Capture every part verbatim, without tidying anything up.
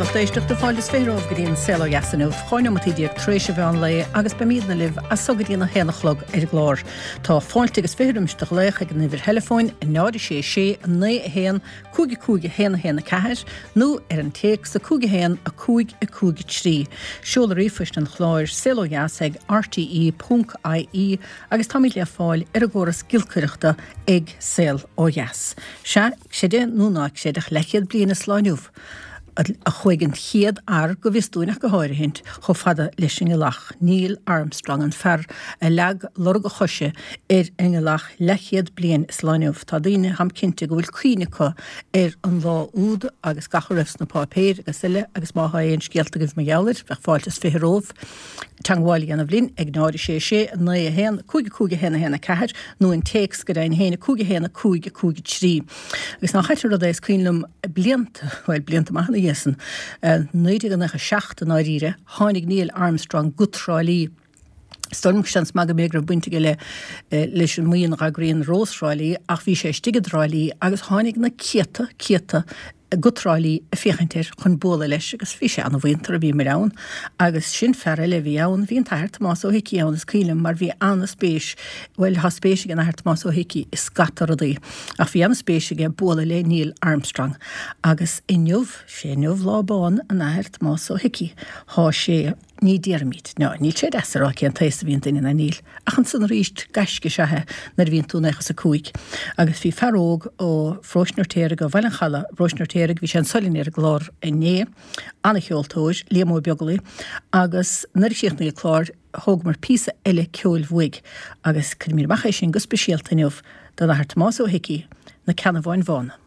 lucht éisteachta fáilte is fiche romhaibh go dtí an Saol Ó Dheas inniu, dhá neomataí déag tar éis an mheán lae agus beimidne libh as so go dtí a haon a chlog ar an gclár. Tá fáilte agus fiche roimis do ghlaoch ag an uimhir theileafóin náid a sé sé naoi a haon cúig a cúig a haon a haon a ceathair nó ar an téacs a cúig a haon a cúig a cúig a trí. Seoladh ríomhphoist an chláir saol ó dheas ag rte ponc ie agus táimid le fáil ar an gcóras giolcaireachta ag Saol Ó Dheas. Sea, creid é nó ná creid ach leathchéad bliain is lá inniu a chuaigh an chéad fhear, go bhfios dúinn ach go háirithint, chomh fada leis an ngealach, Neil Armstrong, an fear a leag lorg a choise ar an ngealach leathchéad bliain is lá inniu. Tá daoine, táim cinnte, go bhfuil cuimhne acu ar an lá úd agus gach a raibh sna páipéir agus eile agus má thá aon scéalta agaibh mar gheall air, bheadh fáilte is fiche romhaibh teagmháil a dhéanamh linn ag náid a sé sé naoi a haon cúig a cúig a haon a haon a ceathair nó an téacs go deimhin féin a cúig a haon a cúig a cúig a trí. Agus nach ait an rud é, is cuimhin liom blianta, bhuel blianta maithe ina dhiaidh san, naoi déag nócha a seacht i ndáiríre, tháinig Neil Armstrong go Trá Lí. Is dóigh liom seans maith go mb'fhéidir go raibh baint aige le leis an mbuíon a dh'eagraíonn Rós Thrá Lí ach bhí sé istigh i dTrá Lí agus tháinig na céadta, céadta go Trá Lí ag féachaint air chun bualadh leis agus bhí sé ana-mhuinteartha, bhíomar ann agus sin fear eile a bhí ann, bhí an tAthair Tomás Ó hIcí ann is cuimhin liom mar bhí ana-spéis, bhuel thá spéis ag an Athair Tomás Ó hIcí i scata rudaí ach bhí ana-spéis aige bualadh le Neil Armstrong agus inniu, sé inniu lá bán an Athair Tomás Ó hIcí, thá sé. Ní déarfaimid, ná níl sé deas a rá cén t-aos a bhíonn duine ná níl, ach ansan arís gaisce is ea é nuair a bhíonn tú naocha is a cúig. Agus bhí fear óg ó Pharóiste an Fheirtéaraigh, ó Bhaile an Chalaidh, i bparóiste an Fheirtéaraigh, bhí sé anso linn ar an gclár inné, ana-cheoltóir, Liam Ó Beaglaoi, agus nuair a chríochnaigh an clár thógamar píosa eile ceoil uaidh agus cuirimid amach é sin go speisialta inniu don Athair Tomás Ó hIcí, Na Ceannabháin Bhána.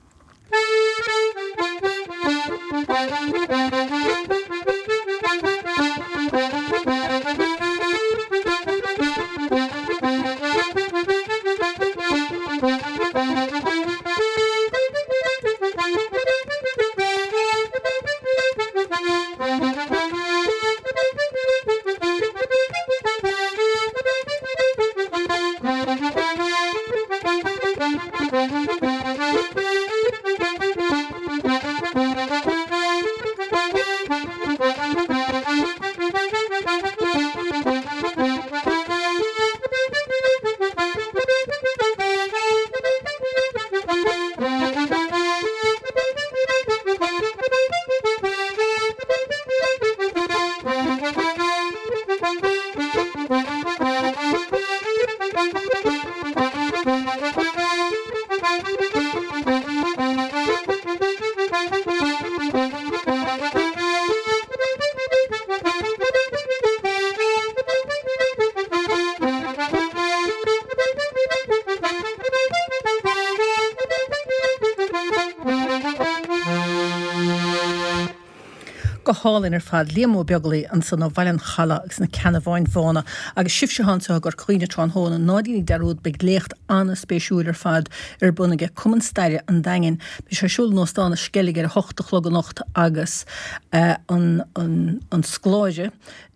Go hálainn ar fad. Liam Ó Beaglaoi ansan ó Bhaile an Chalaidh agus na Ceannabháin Bhána. Agus sibhse atá anseo i gCorca Dhuibhne tráthnóna, ná déanaigí dearúd, beidh léacht an-spéisiúil ar fad ar bun aige Cumann Staire an Daingin. Beidh sé ar siúl in Óstán an Sceilg ar a hocht a chlog anocht agus an an scoláire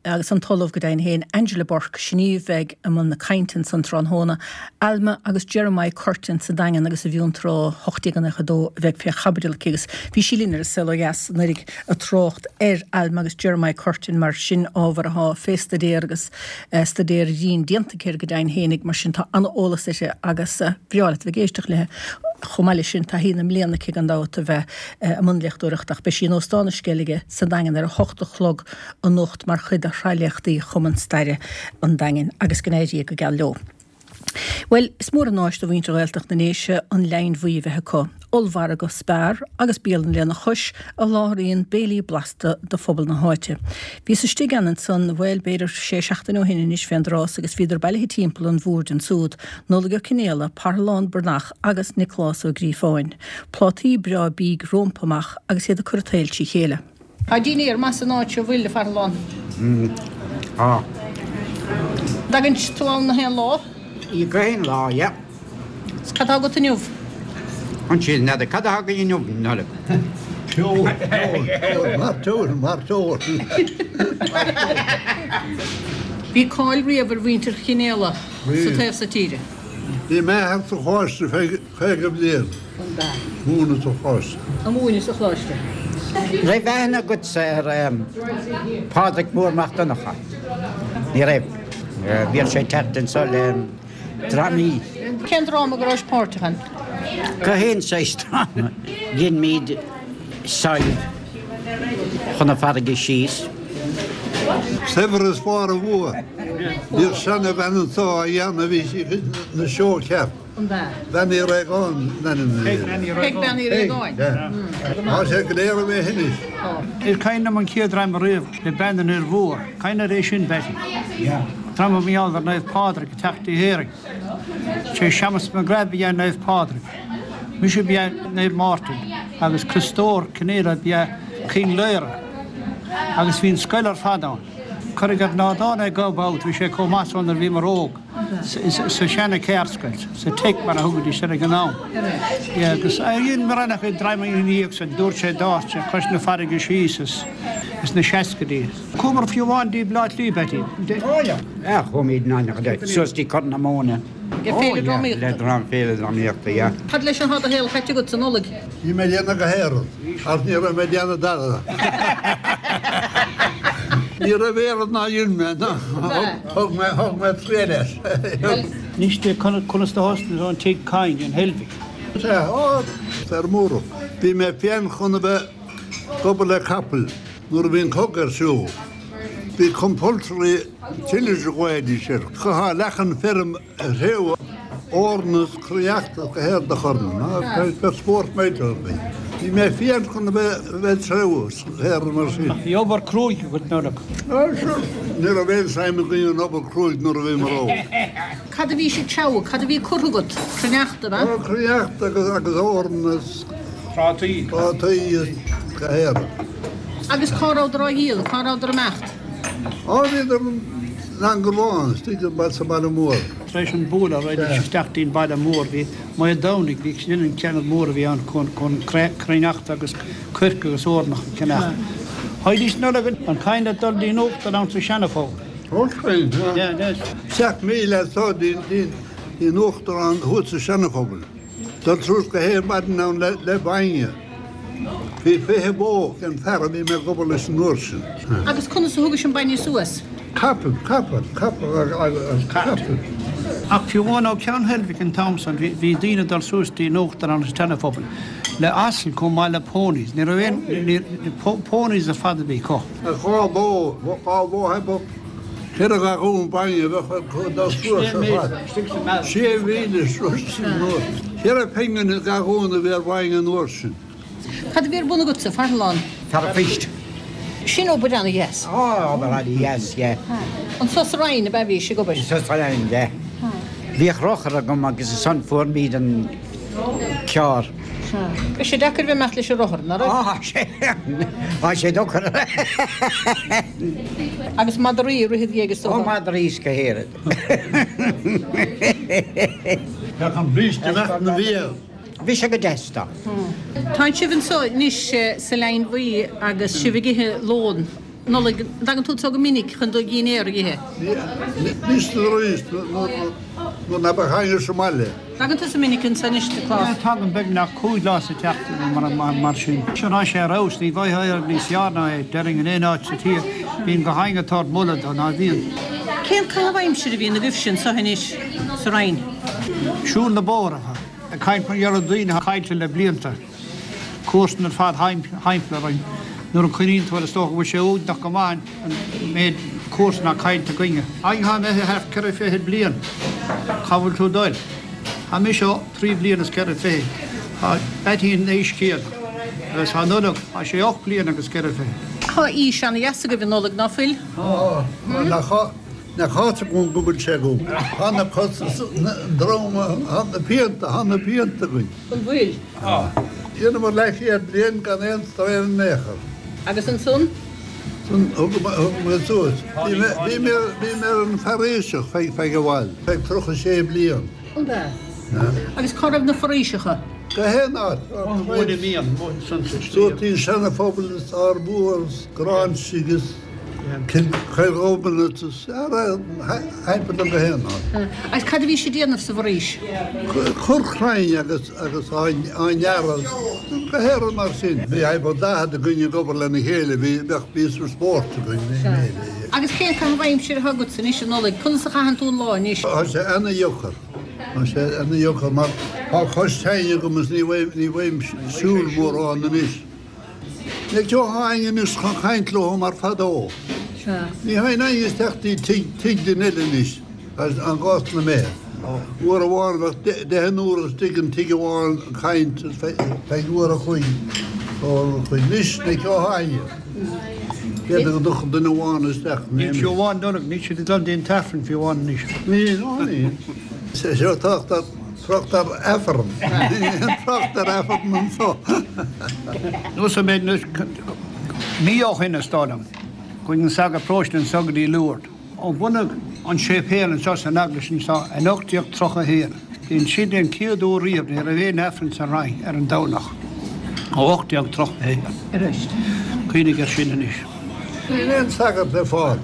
agus an tOllamh go deimhin féin, Angela Bourke, sin í a bheidh i mbun na cainte ansan tráthnóna. Alma agus Jeremiah Curtin sa Daingean agus i bhFionntrá ocht déag nócha a dó a bheidh fé chaibidil aici agus bhí sí linn ar an Saol Ó Dheas anuraidh ag trácht ar Alma agus Jeremiah Curtin mar sin ábhar athá fé staidéar agus staidéar dian déanta aici air go deimhin féinig mar sin tá an-eolas uirthi agus breá leat a bheith ag éisteacht léi. Chomh maith leis sin taithí na mbliana aici gan dabht a bheith i mbun léachtóireachta ach beidh sí in Óstán na Sceilge sa Daingean ar a hocht a chlog anocht mar chuid de shraith léachtaí Chumann Staire an Daingin agus go n-éirí go geal leo. Bhuel, is mór an áis do mhuintir Ghaeltacht na nDéise an Leidhinn Bhuí a bheith acu, ollmhargadh Spar agus bialann lena chois a sholáthraíonn béilí blasta do phobal na háite. Bhíos istigh ann ansan, bhuel, b'fhéidir sé seachtaine ó shin anois fén dtráth agus bhíodar bailithe timpeall an bhoird ansúd, Nollaig Ó Cionfhaola, Parthalán Breathnach agus Nioclás Ó Gríofáin. Plátaí breá bídh rómpa amach agus iad ag cur an tsaoil trí chéile. Tá dinnéar maith san áit seo, bhfuil, a Pharthaláin? Tá. Dtagann tú ann na haon lá? Gach aon lá, yeah. 'S cad tá agat inniu? Ansin, n'fheadar cad atá againn inniu, Nollaig. Ceol, ceol, ceol, mairteoil, mairteoil. Bhí cáil riamh ar mhuintir Chionnaola sa taobh so tíre. Bhí m'athair sa choláiste feadh caoga bliain. Múineadh sa choláiste. Ag múineadh sa choláiste. Raibh aithne agatsa ar Pádraig Mór Mac Donncha? Ní raibh. Bhíodh sé ag teacht anso le drámaí. Cén dráma go raibh páirteach ann? Gach aon saghas dráma. Dheinimid Sadhbh chun na farraige síos. Saibhreas Bharr a' Bhua. Bhíodh seanabhean anso á dhéanamh, bhí sí ina seó ceart. Bean Uí Réagáin an ainm a bhí uirthi. Peig Bean Uí Réagáin. Tá sé go léir imithe anois. Is cuimhin liom an chéad dráma riamh le Bean an Fhir Mhóir. Cuimhin leat é sin, Betty? Dráma mar gheall ar Naomh Pádraig ag teacht go hÉirinn. Sé Séamus McGrath ba ea Naomh Pádraig. Mise ba ea Naomh Máirtín agus Criostóir Cinéal ba ea King Laoire. Agus bhí an scoil ar fad ann. Cuireadh ar nádán é go babht, bhí sé chomh maith san nuair a bhíomar óg, sa seana ceardscoil, sa Tech mar a thugaidís air ag an am. Yeah, agus dhein mórán acu drámaí ina dhiaidh san, dúirt sé dár sé cois na farraige síos is is na seascaidí. Chuamar fiú amháin dtí Bleá Cliath, Betty. Oh yeah. Ah, chuaimid in aon suas dtí Corr na Móna. Le féile drámaíochta. Le drám féile drámaíochta, yeah. Cad leis atá do shaol caite agat sa Nollaig? Bhí mé ag déanamh go héireann, ach ní raibh mé ag déanamh dada. Ní raibh oiread ná dhein mé, thug mé thug mé triail as. Anois de conas do thosnaigh an tigh cain, an Heilbhic. Sea, ó, feirmeoir. Bhí mé féin chun a bheith ag obair le capaill nuair a bhí an cogadh ar siúl. Bhí compulsory tillage a ghlaoidís air. Chaithfeá leath an feirm a threabhadh, eorna is créachta go héard a chur ann. Bheadh spórt maith againn. Bhí mé féin chun a bheith a bheith ag treabhadh is go héard mar sin. Ach bhí obair cruaidh agat Nollaig. Ah, sure. Ní raibh aon suim againn in obair cruaidh nuair a bhíomar óg. Cad a bhí sibh ag treabhadh? Cad a bhí curtha agat? Cruithneachta, ab ea? Ó, créachta agus agus eorna is Prátaí. prátaí is go héard. Agus cá rabhadar á dhíol? Cá rabhadar ag imeacht? Á, bhíodar in Angarmhán, istigh i sa bhaile mór. Tar éis an bualadh raghaidís isteach dtí'n baile mór bhí Maigh Domhnaigh bhí sin an ceann mór a bhí ann chun chun cruithneachta agus coirce agus eornach a cheannach. Théidís Nollaig an cain le dul dtí'n uachtar ann sa Seanaphobal. Ó, sin, Yeah, yes. Seacht míle as so dtí'n uachtarán thuas sa Seanaphobal. Dul suas go haon maidin ann le le bainne. Bhí fiche bó ag an fear a bhí mé ag obair leis an uair sin. Agus conas a thugais an bainne suas? Capall, capall, capall agus capall. Ach fiú amháin ó Ceann Heilbhic an t-am san bhí bhí daoine ag dul suas dtí'n uachtarán sa Seanaphobal le asail chomh maith le ponies. Ní raibh aon ní ponies ar fad a bhí acu. Dhá bhó, dhá bhó a ceithre ghalún bainne a bheadh ag dul suas ar fad. Sé mhíle suas sin anuas. Ceithre phingin an galún a bhí ar bhainne an uair sin. Cad a bhí ar bun agatsa, Parthalán? Fear an phoist. Sin obair ana-dheas. Ó, obair ana-dheas, yeah. Anso sa Rinn ab ea bhís ag obair? Anso sa Rinn, yeah. Bhíodh rothar agam agus ansan fuair muid an carr. Bhí sé deacair bheith imeacht leis an rothar, ná raibh? Á, sé, á sé deacair. Agus madraí ag rith id dhiaidh is Ó, dócha? madraí is go héireann. Bheadh an bríste imeacht na bhfial. Bhí sé go deas dó. Tá sibh anso anois sa Leidhin Bhuí agus sibh ag ithe lón Nollag. An dtagann tú anseo go minic chun do dhinnéar a ithe? Anois is arís nuair ná beadh éinne sa mbaile. Tagann tusa minic anso anois, a Klaus? Tagaim beagnach cúig lá sa tseachtain nó mar mar sin. Sin tá sé ar fheabhas, ní bhfaighfeá oiread níos fearr ná é, déarfainn in aon áit sa tír. Bíonn gach éinne ag tabhairt moladh dó, ná bíonn. Cén caitheamh aimsire a bhíonn agaibhse anseo anois sa Rinn? Siúl na bóithre. Ag caint mar gheall ar daoine atá caillte le blianta, comharsan ar fad thimpeall orainn. Nuair a chuimhníonn tú air is dócha go bhfuil sé uaigneach go maith an méid comharsan atá caillte againne. Againn atá imithe thart ceithre fichid bliain, cá bhfuil tú ag dul? Tá mise trí bliana is ceithre fichid, tá Beaití an aois chéanna agus tá Nollaig, tá sé ocht bliana agus ceithre fichid. Tá aois ana-dheas agaibh a Nollaig, ná fuil? Tá, nach Nach áit agam go bhfuil sé agam. Tá na cosa is an drom, tá na pianta, tá na pianta againn. An bhfuil? Tá. Dheineamar leathchéad bliain gan aon strae in aon chor. Agus ansan? Ansan thugamar suas. Bhí mé, bhí mé, bhí mé ar an foraoiseach feadh, feadh i bhfad, feadh tríocha sé bliain. An ea? Agus cá raibh na foraoiseacha? Gach aon áit. Móin a mbíonn, móin san sa Suas dtí an Seana-Phobal is Ard Mhór is Gráinsigh is. Cill Ghobin ara haimpa go héana. Agus cad a bhí siad ag déanamh sa bhforaois? Cur crainn agus agus á ngearradh go héireann mar sin. Bhí haimpa daichead againn ag obair lena chéile, bhí bheadh píosa spóirt againn lena chéile. Agus cén caitheamh aimsire atá agatsa anois a Nollaig? Conas a chaitheann tú an lá anois? Tá sé ana-dheacair. Tá sé ana-dheacair mar tá cois tinn agam is ní bhfaighim siúl mórán anois. Ní théann éinne anois chun caint leo mar fadó. Ní théann éinne isteach dtí tigh duine eile anois an gcás na mbeith. Uair amháin bheadh deichniúr istigh in tigh amháin ag caint feadh uair a chloig. Anois ní théann éinne. B'fhéidir go dtiocfadh duine amháin isteach. Níl fiú amháin Nollaig, níl siad ag dul dtí an t-aifreann fiú amháin anois. Níl, ó níl. Seo trácht ar trácht ar aifreann. Trácht ar aifreann anso. Nós an méid anois, mí ó shin is dóigh liom, chuaigh an sagart paróiste anso go dtí Lourdes. Ó bunaíodh an séipéal anseo san eaglais anseo in ocht déag tríocha a haon, bhí sin an chéad uair riamh ní raibh aon aifreann sa Rinn ar an Domhnach ó ocht déag tríocha a haon. Arís. Cuimhnigh air sin anois. Níl aon sagart le fáil.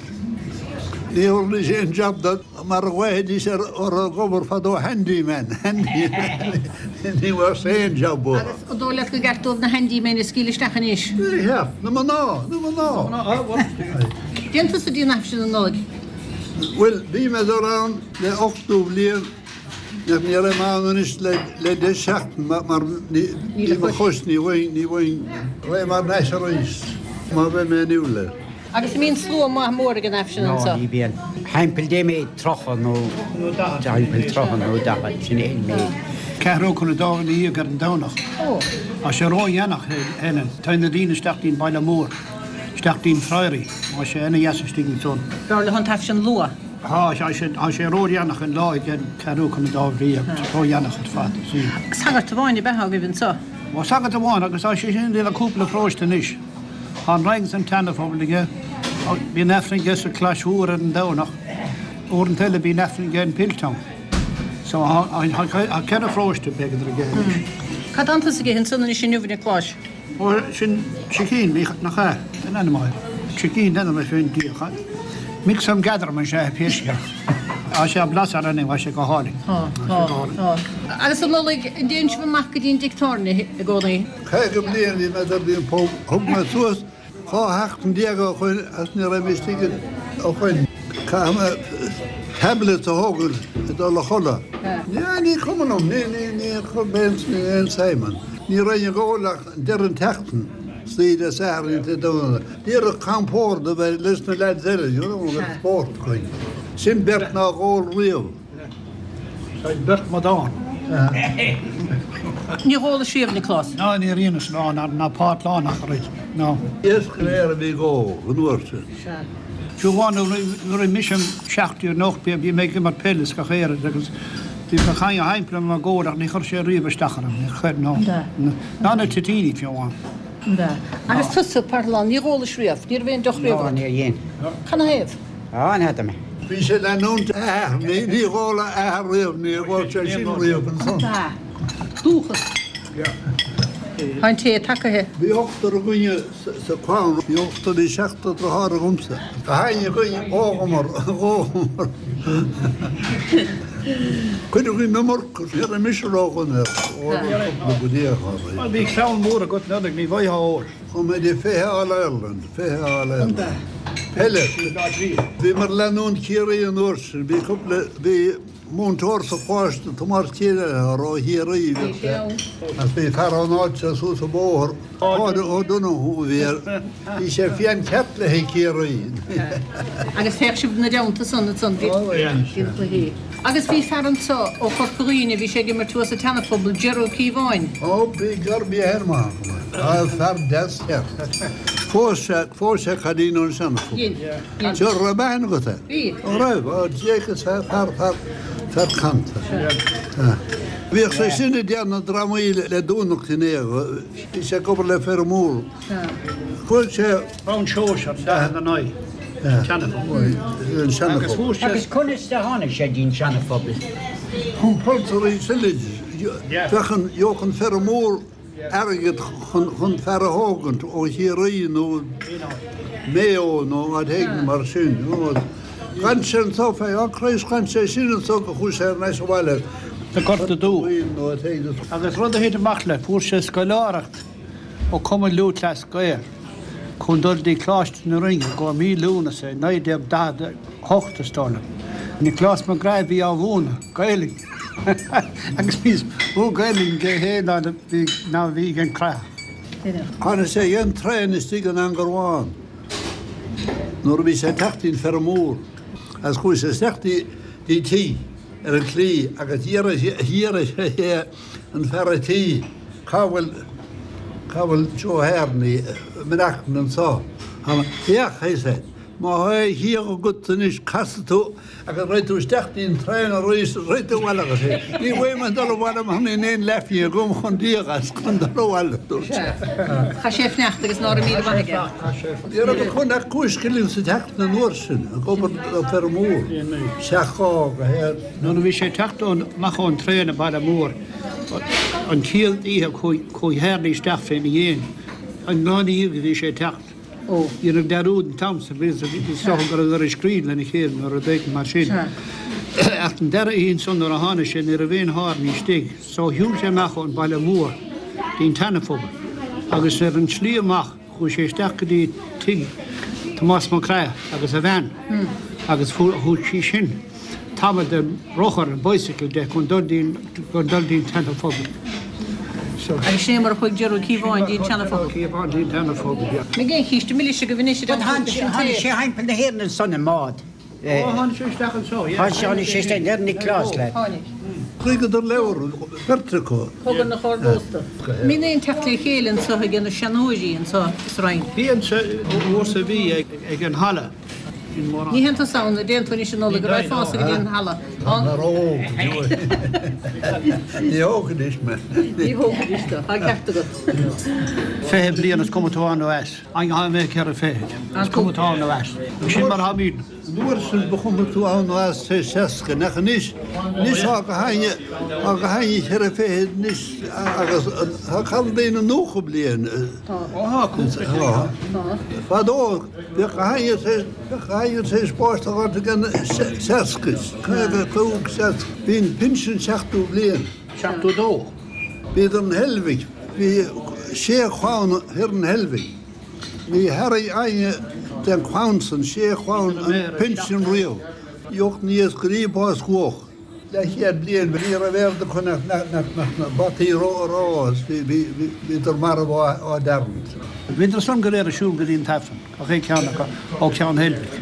Ní thabharfaidís aon job do mar a ghlaofaidís ar orthu ag obair fadó handyman, handyman. Ní bheadh aon job uathu. Agus an dóigh leat gur ceart dóibh na handymen a scaoileadh isteach anois? Ní cheart. Na mná, na mná. Dtéann tusa dtí an Aifreann an Nollaig? Bhuel, bhí mé ag dul ann le ochtó bliain ach ní raibh mé ann anois le le deich seachtain mar ní ní mo chois ní bhfaighinn ní bhfaighinn raghaidh mé thar n-ais arís má bheidh mé inniúil air. Agus an mbíonn slua maith mór ag an Aifreann No, anseo? ní bhíonn. Thimpeall dé méid tríocha nó thimpeall tríocha nó daichead, sin é an méid. Ceathrú chun a dó ina dhiaidh ar an Domhnach. Tá sé ródhéanach, Helen. Téann na daoine isteach dtí'n baile mór, isteach dtí'n Friary. Tá sé ana dheas istigh ansan. B'fhearr leo an tAifreann luath. Tá, tá sé, tá sé ródhéanach an lá ag an ceathrú chun a dó ina dhiaidh, ródhéanach ar fad. Sí. Sagart amháin ab ea agaibh anseo? Ó, sagart amháin agus tá sé sin ag déanamh cúpla paróiste anois. Tá an Rinn is an tSeanaphobal aige. Bíonn Aifreann aige sa Chlais Mhór ar an Domhnach. Uaireanta eile bíonn Aifreann aige in Piltown. So tá ceithre pharóiste b'fhéidir aige anois. Cad atá tusa ag ithe ansan anois inniu, a Niocláis? Ó, sin sicín, nach ea? An ainm air. Sicín, ainm é féin díreach. Mix and gather mar sin pé scéal. Tá sé blas ar anam, tá sé go hálainn. Tá, tá, tá. Agus a Nollaig, an dtéann sibh amach go dtí an dtigh tábhairne i gcónaí? Caoga bliain bhí mé ag dul an pub, thug mé suas dhá sheachtain déag ó shoin agus ní raibh mé istigh ó shoin. Caithfidh mé tablets a thógáil ag dul a chodladh. Ní, ní cuma liom, ní, ní, ní chuir mé aon suim ann. Ní raibh ag ól ach deireadh an tseachtain, Saoire Sathairn Dé Domhnaigh. D'iarraidh compord a bheith leis na lads eile, you know, agus spórt againn. Sin beirt nár ól riamh. Tá beirt madán. Níor ólais riamh, Nioclás? Ná níor dheineas ná ná páirt lá nach raibh, ná. Iasc go léir a bhí ag ól an uair sin. Fiú amháin nuair a bhí mise seacht déag nó ocht bhí mé ag imirt peile is gach aon rud agus bhí gach éinne thimpeall orm ag ól ach ní chuir sé riamh isteach orm, níor chuir, ná. Ná na toitíní fiú amháin. Agus tusa, Parthalán, níor ólais riamh, ní raibh aon deoch riamh Ná agat? níor dhein. Canathaobh? Á, n'fheadar mé. Bhí sé ag leanúint a athar, ní ní dh'ól a athair riamh, ní dh'ól sé sin riamh ansan. Ba. Dúchas. Tá an tae tagaithe. Bhí ochtar againne sa chlann, bhí ochtar, bhí seachtar deartháir agamsa. Gach éinne againn dhóghamar, dhóghamar. Cuid againn iomarca, ní raibh mise ródhona air, ólamar cúpla go dtí a chur. Bhuel, bhí clann mhór agat, Nollaig, ní bhfaightheá ór. Chuaigh mé dtí fiche All Ireland, fiche All Ireland. Peile. Bhíomar ag leanúint Chiarraí an uair sin, bhí cúpla, bhí múinteoir sa choláiste, Tomás Kelleher ó Chiarraí, bhí sé, agus bhí fear ón áit seo suas an bóthar, Páid O'Donoghue a bhí air, bhí sé fiáin ceart le haghaidh Ciarraí. Agus théadh sibh ina dteannta san ansan, bhí na cluichí. Agus bhí fear anso ó Chorca Dhuibhne, bhí sé ag imirt thuas sa tSeanaphobal, Ger Ó Cíobháin. Ó, bhí gar, bhí air maith agam é. Á, fear deas ceart. Phós sé, phós sé cailín ón Seanaphobal. Dhein, dhein. Sure, raibh aithne agat air? Bhí. Ó raibh, ó, Jake is fear, fear, fear, fear canta. Sea. Bhíodh sé sin ag déanamh drámaí le Dúnach in Éag. Bhí sé ag obair le Fear Mór. Chuaigh sé. Round Seoirse, daichead a naoi, Seanaphobal. An Seanaphobal. Agus conas a tháinig sé dtí'n Seanaphobal? Compulsory tillage. Bheadh an, gheobhadh an fear mór airgead chun fear a thógaint ó Chiarraí nó Maigh Eo nó áit éigin mar sin. D'fhan sé anso feadh, oh Christ, d'fhan sé sin anso go chuaigh sé ar ais abhaile. Sa Ghorta Dubh. Agus rud a thit amach le, fuair sé scoláireacht ó Chumann Lúthchleas Gael chun dul dtí Coláiste na Rinne i gcomhair mí Lúnasa i naoi déag daichead a hocht, is dóigh liom. Nioclás Mac Graith a bhí á mhúineadh Gaelainn agus bhí níos mó Gaelainn aige féin ná ná a bhí ag an Chrathach. Tháinig sé dhen traein istigh in Angair Bhán nuair a bhí sé ag teacht dtí'n Feirm Mhór agus chuaigh sé isteach dtí tigh ar an tslí agus d'fhiafraigh sé an fear a' tí cá bhfuil cá bhfuil Joe Hearney ag maireachtaint anso. Féach, he said, má thá a chiall agat anois casfaidh tú agus raghaidh tú isteach dtí'n traein arís is raghaidh tú abhaile agus é. Ní bheidh mé ag dul abhaile mar níl aon leathphingin agam chun díol as chun dul abhaile, dúirt sé. Chaith sé fanacht agus ná raibh míle maith aige. Ní raibh acu ach cúig scilling sa tseachtain an uair sin ag obair le feirm mhór. Seacht dhá go haon. Nuair a bhí sé ag teacht amach ón traein i Baile Mór an chéad oíche chuaigh Hearney isteach féna dhéin. An lá ina dhiaidh a bhí sé ag teacht. Ó, dhéanadh dearúd an t-am san, bhí is dócha go rabhadar ag scríobh lena chéile nó rud éigin mar sin. Ach an dara oíche ansan nuair a tháinig sé ní raibh aon Hearney istigh so shiúil sé amach ón Baile Mór dtí'n tSeana-Phobal agus ar an tslí amach chuaigh sé isteach go dtí tigh Tomás Mac Craith agus a bhean agus thug sí sin tamall de rothar, an bicycle, de chun dul dtí'n chun dul dtí'n tSeana-Phobal. So. Agus sin é mar a chuaigh Jerry Ó Cíobháin dtí an tSeana-Phobal. Cíobháin dtí an tSeana-Phobal, yeah. Mbeidh aon chíste milis agaibh anois ar an Tháinig sé tháinig sé thimpeall na hÉireann ansan i mbád. Ó, tháinig sé isteach anseo, yeah. Tháinig sé tháinig sé isteach ar Nioclás leat. Tháinig. Scríobhadar leabhar, beirt acu. Cogadh na hArdósta. Mbíonn aon teacht le chéile anseo ag na seanóirí anseo sa Rinn? Bíonn sa uair sa mhí ag an halla. Ní théann tusa ann, an dtéann tú anois an Nollaig, an raghfása go dtí an halla? Tá mé ró-óg. Ní hóg anois mé. Ní hóg anois tú, tá ceart agat. Fiche bliain is cuma tú ann nó as. An tá mé ceithre fichid. Is cuma tú ann nó as. Sin mar a bhíonn. An uair sin ba chuma tú ann nó as tar éis seasca, nach anois, anois tá gach éinne, tá gach éinne ceithre fichid anois agus tá caitheamh daoine nócha bliain. Tá. Ó tá, cúpla Tá. Tá. Fadó bhíodh gach éinne tar éis, bhíodh gach éinne tar éis báis a fháilt ag an seasca, caoga cúig, seasca. Bhí an pinsean seachtó bliain. Seachtó dó. Bhíodar in Heilbhic, bhí sé chlann thiar in Heilbhic. Ní thairg éinne den chlann san sé chlann an pinsean riamh. Gheobhadh na iascairí bás luath. Leathchéad bliain ní raibh aird acu nach na bataí ró is bhíodar marbh á dtarraingt. Bhíodar san go léir ag siúl go dtí an tAifreann, gach aon cheann acu ó Cheann Heilbhic.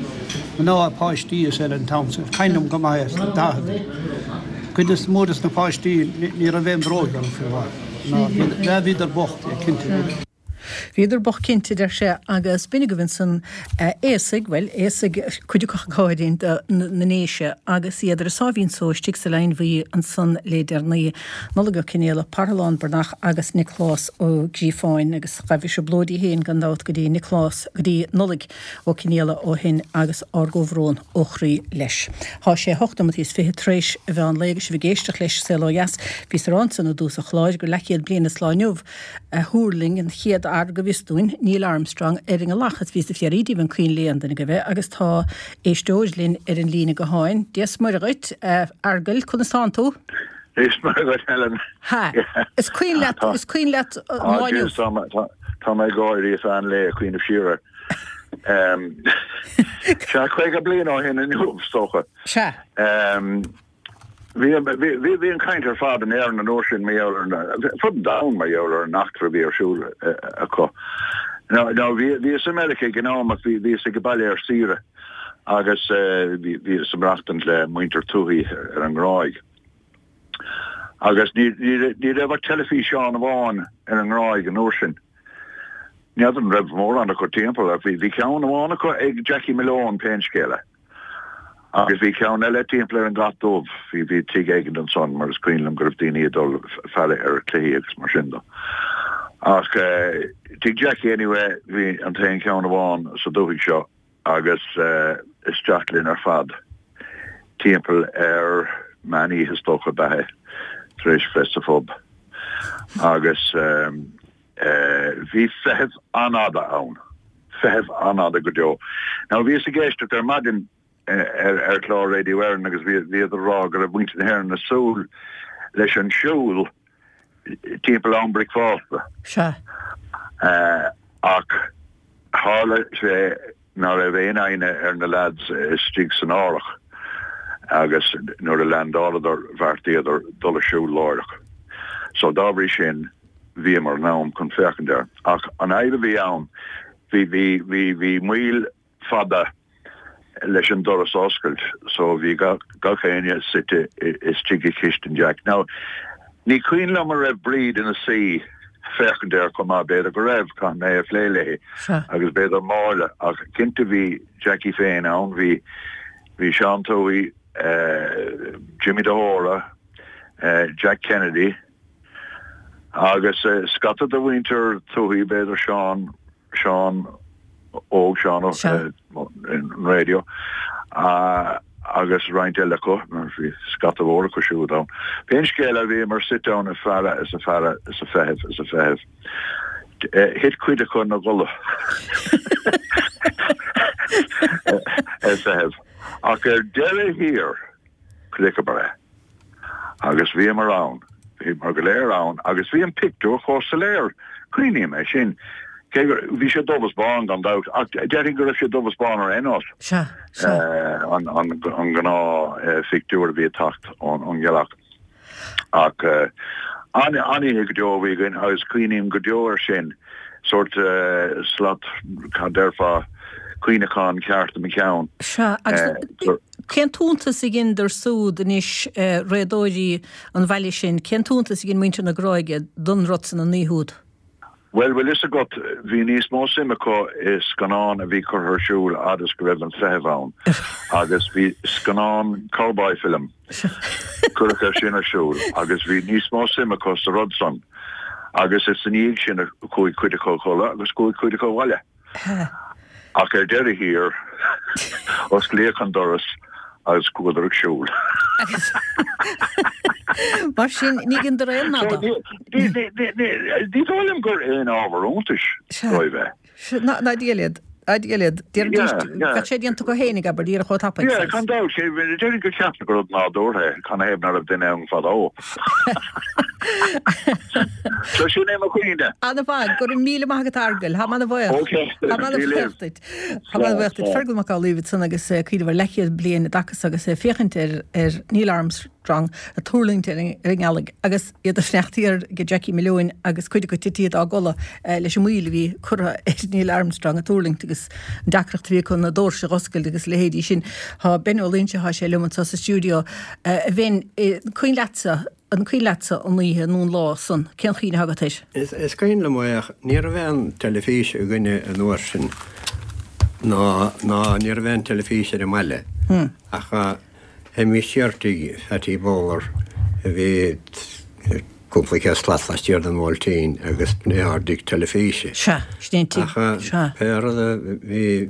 Mná, páistí is eile an t-am san. Cuimhin liom go maith é sna daicheadaí. Cuid is mó des na páistí ní raibh aon bhróig orthu fiú amháin. Ná bhíodar bocht, cinnte. Bhíodar bocht cinnte, a deir sé, agus b'in agaibh ansan aosaigh, bhuel, aosaigh, cuid acu ag gáirí na nDéise, agus iad ar a sáimhín só istigh sa Leidhinn Bhuí ansan le deireanaí. Nollaig Ó Cionfhaola, Parthalán Breathnach agus Nioclás Ó Gríofáin, agus ghabh a thrioblóidí féin gan dabht go dtí Nioclás, go dtí Nollaig Ó Cionfhaola ó shin agus ár gcomhbhrón ó chroí leis. Tá sé hocht nóimeataí is fiche tar éis a mheán lae agus sibh ag éisteacht leis Saol Ó Dheas. Bhíos ag rá ansan i dtús an chláir gur leathchéad bliain is lá inniu a thuirling an chéad fhear go bhfios dúinn, Neil Armstrong, ar an ngealach is bhíos ag fiafraí díobh an cuimhin le aon duine agaibh é agus tá éisteoir linn ar an líne gutháin. Dia 's Muire dhuit, a Fheargail, conas tánn tú? Dia 's Muire dhuit, Helen. Ha! Is cuimhin leat, is cuimhin leat an lá inniu? Tá mé ag gáirí ar feadh an lae ag cuimhneamh siar air. Sea, caoga bliain ó shin inniu, is dócha. Sea. Bhí, bhí, bhí an chaint ar fad in Éirinn an uair sin mar gheall ar an, fud an domhain mar gheall ar an eachtra a bhí ar siúl acu. Now, now bhí, bhíos i Meiriceá ag an am ach bhí, bhíos ag baile ar saoire agus bhí, bhíos ag maireachtaint le muintir Tuohy ar an nGráig. Agus ní, ní, ní raibh ach teilifíseán amháin ar an nGráig an uair sin. N'fheadar an raibh mórán acu timpeall ach bhí, bhí ceann amháin acu ag Jackie Malone, pé scéal é. Agus bhí ceann eile timpeall ar an gCat Dubh, bhí bhí tigh éigin ansan mar is cuimhin liom go raibh daoine ag dul faire ar cluichí agus mar sin de. Ach tigh Jackie anyway bhí an t-aon cheann amháin sa dúthaigh seo agus isteach linn ar fad timpeall ar meán oíche is dócha ab ea é tar éis bheith sa phub agus Bhí feitheamh an-fhada ann, feitheamh an-fhada go deo. Now bhíos ag éisteacht ar maidin ar ar chlár Radio Éireann agus bhí bhíodar ag rá go raibh muintir na hÉireann ag súil leis an siúl timpeall am bricfeasta. Sea. Ach tharla sé ná raibh aon fhoighne ar na lads istigh san árthach agus nuair a leaindeáladar bheartaíodar dul ag siúl láithreach. So dá bhrí sin bhíomar in am chun féachaint air. Ach an fhadhb a bhí ann, bhí bhí bhí bhí moill fada leis an doras a oscailt so bhí gach gach éinne suite istigh i gcistin Jack. Now ní cuimhin liom an raibh Bríd ina suí féachaint air chomh maith, b'fhéidir go raibh, caithfidh mé a phlé léi, agus b'fhéidir Máire, ach cinnte bhí Jackie féin ann, bhí bhí Seán Tuohy, Jimmy de hÓra, Jack Kennedy agus scata de mhuintir Tuohy, b'fhéidir Seán, Seán Óg, Seán an raidió agus roinnt eile acu, mar bhí scata mhór acu siúd ann. Pén scéal é bhíomar suite ann ag faire is ag faire is ag feitheamh is ag feitheamh. Thit cuid acu ina gcodladh ag feitheamh. Ach ar deireadh thiar, chonaiceamar é. Agus bhíomar ann, bhíomar go léir ann, agus bhí an pictiúr chomh soiléir, cuimhním é sin, cé gur, bhí sé dubh is bán gan dabht, ach déarfainn go raibh sé dubh is bán ar aon nós, Sea, sea. an, an, an gnáth-phictiúr a bhí ag teacht ón, ón ngealach. Ach an, an-oíche go deo a bhí againn agus cuimhním go deo air sin, sórt slat, cad déarfá, cuimhneachán ceart i mo cheann. Sea, agus cén t-iontas a dheineadar súd anois, réadóirí an bhaile sin, cén t-iontas a dhein muintir na Gráige don rud san an oíche úd? Bhuel, bhfuil fhios agat, bhí níos mó suim acu i scannán a bhí curtha ar siúl fhad is go raibh an feitheamh ann, agus bhí scannán cowboy film, cuireadh é sin ar siúl, agus bhí níos mó suim acu sa rud san, agus is ina dhiaidh sin a chuaigh cuid acu a chodladh agus chuaigh cuid acu abhaile. Ach ar deireadh thiar, osclaíodh an doras agus chuadar ag siúl. Mar sin, ní dheineadar aon nada. Ní dóigh liom gur aon ábhar iontais dóibh é. Ná Dia leat. Ná Dia leat. Déarfaidís, bheadh sé déanta acu fhéinig, abair, díreach chomh tapaidh. Yeah, gan dabht, déarfainn gur cheapadar gur rud nádúrtha é, canathaobh ná raibh duine ann fadó. So sin é mo chuimhne. Ana-mhaith, go raibh míle maith agat a Fheargail, táim ana-bhuíoch. Ok, Táim ana-bhuíoch duit. Táim ana-bhuíoch duit. Fergal Mac Amhlaoibh ansan agus cuimhneamh ar leathchéad bliain i dtaca so agus é ag féachaint ar ar Neil Armstrong ag tuirlingt ar an ar an ngealaigh agus iad ag fanacht thiar ag Jackie Malone agus cuid acu titithe dá gcodladh leis an moill a bhí curtha ar Neil Armstrong ag tuirlingt agus an deacracht a bhí acu na doirse a dh'oscailt agus a leithéidí sin. Tá Ben Ó Loingsigh, tá sé liom anso sa stiúideo. A Ben, cuimhin leatsa An cuimhin leatsa an oíche nó an lá san? Cén chuimhne atá agat air? Is cuimhin liom é ach ní raibh aon teilifís againne an uair sin ná ná ní raibh aon teilifís ar an mbaile ach théimis siar tigh Phatty Bowler a bhí cúpla céad slat laistiar den Bhuailtín agus b'in é ár dtigh teilifíse. Sea, sin é an tigh, Ach sea. pé rud a bhí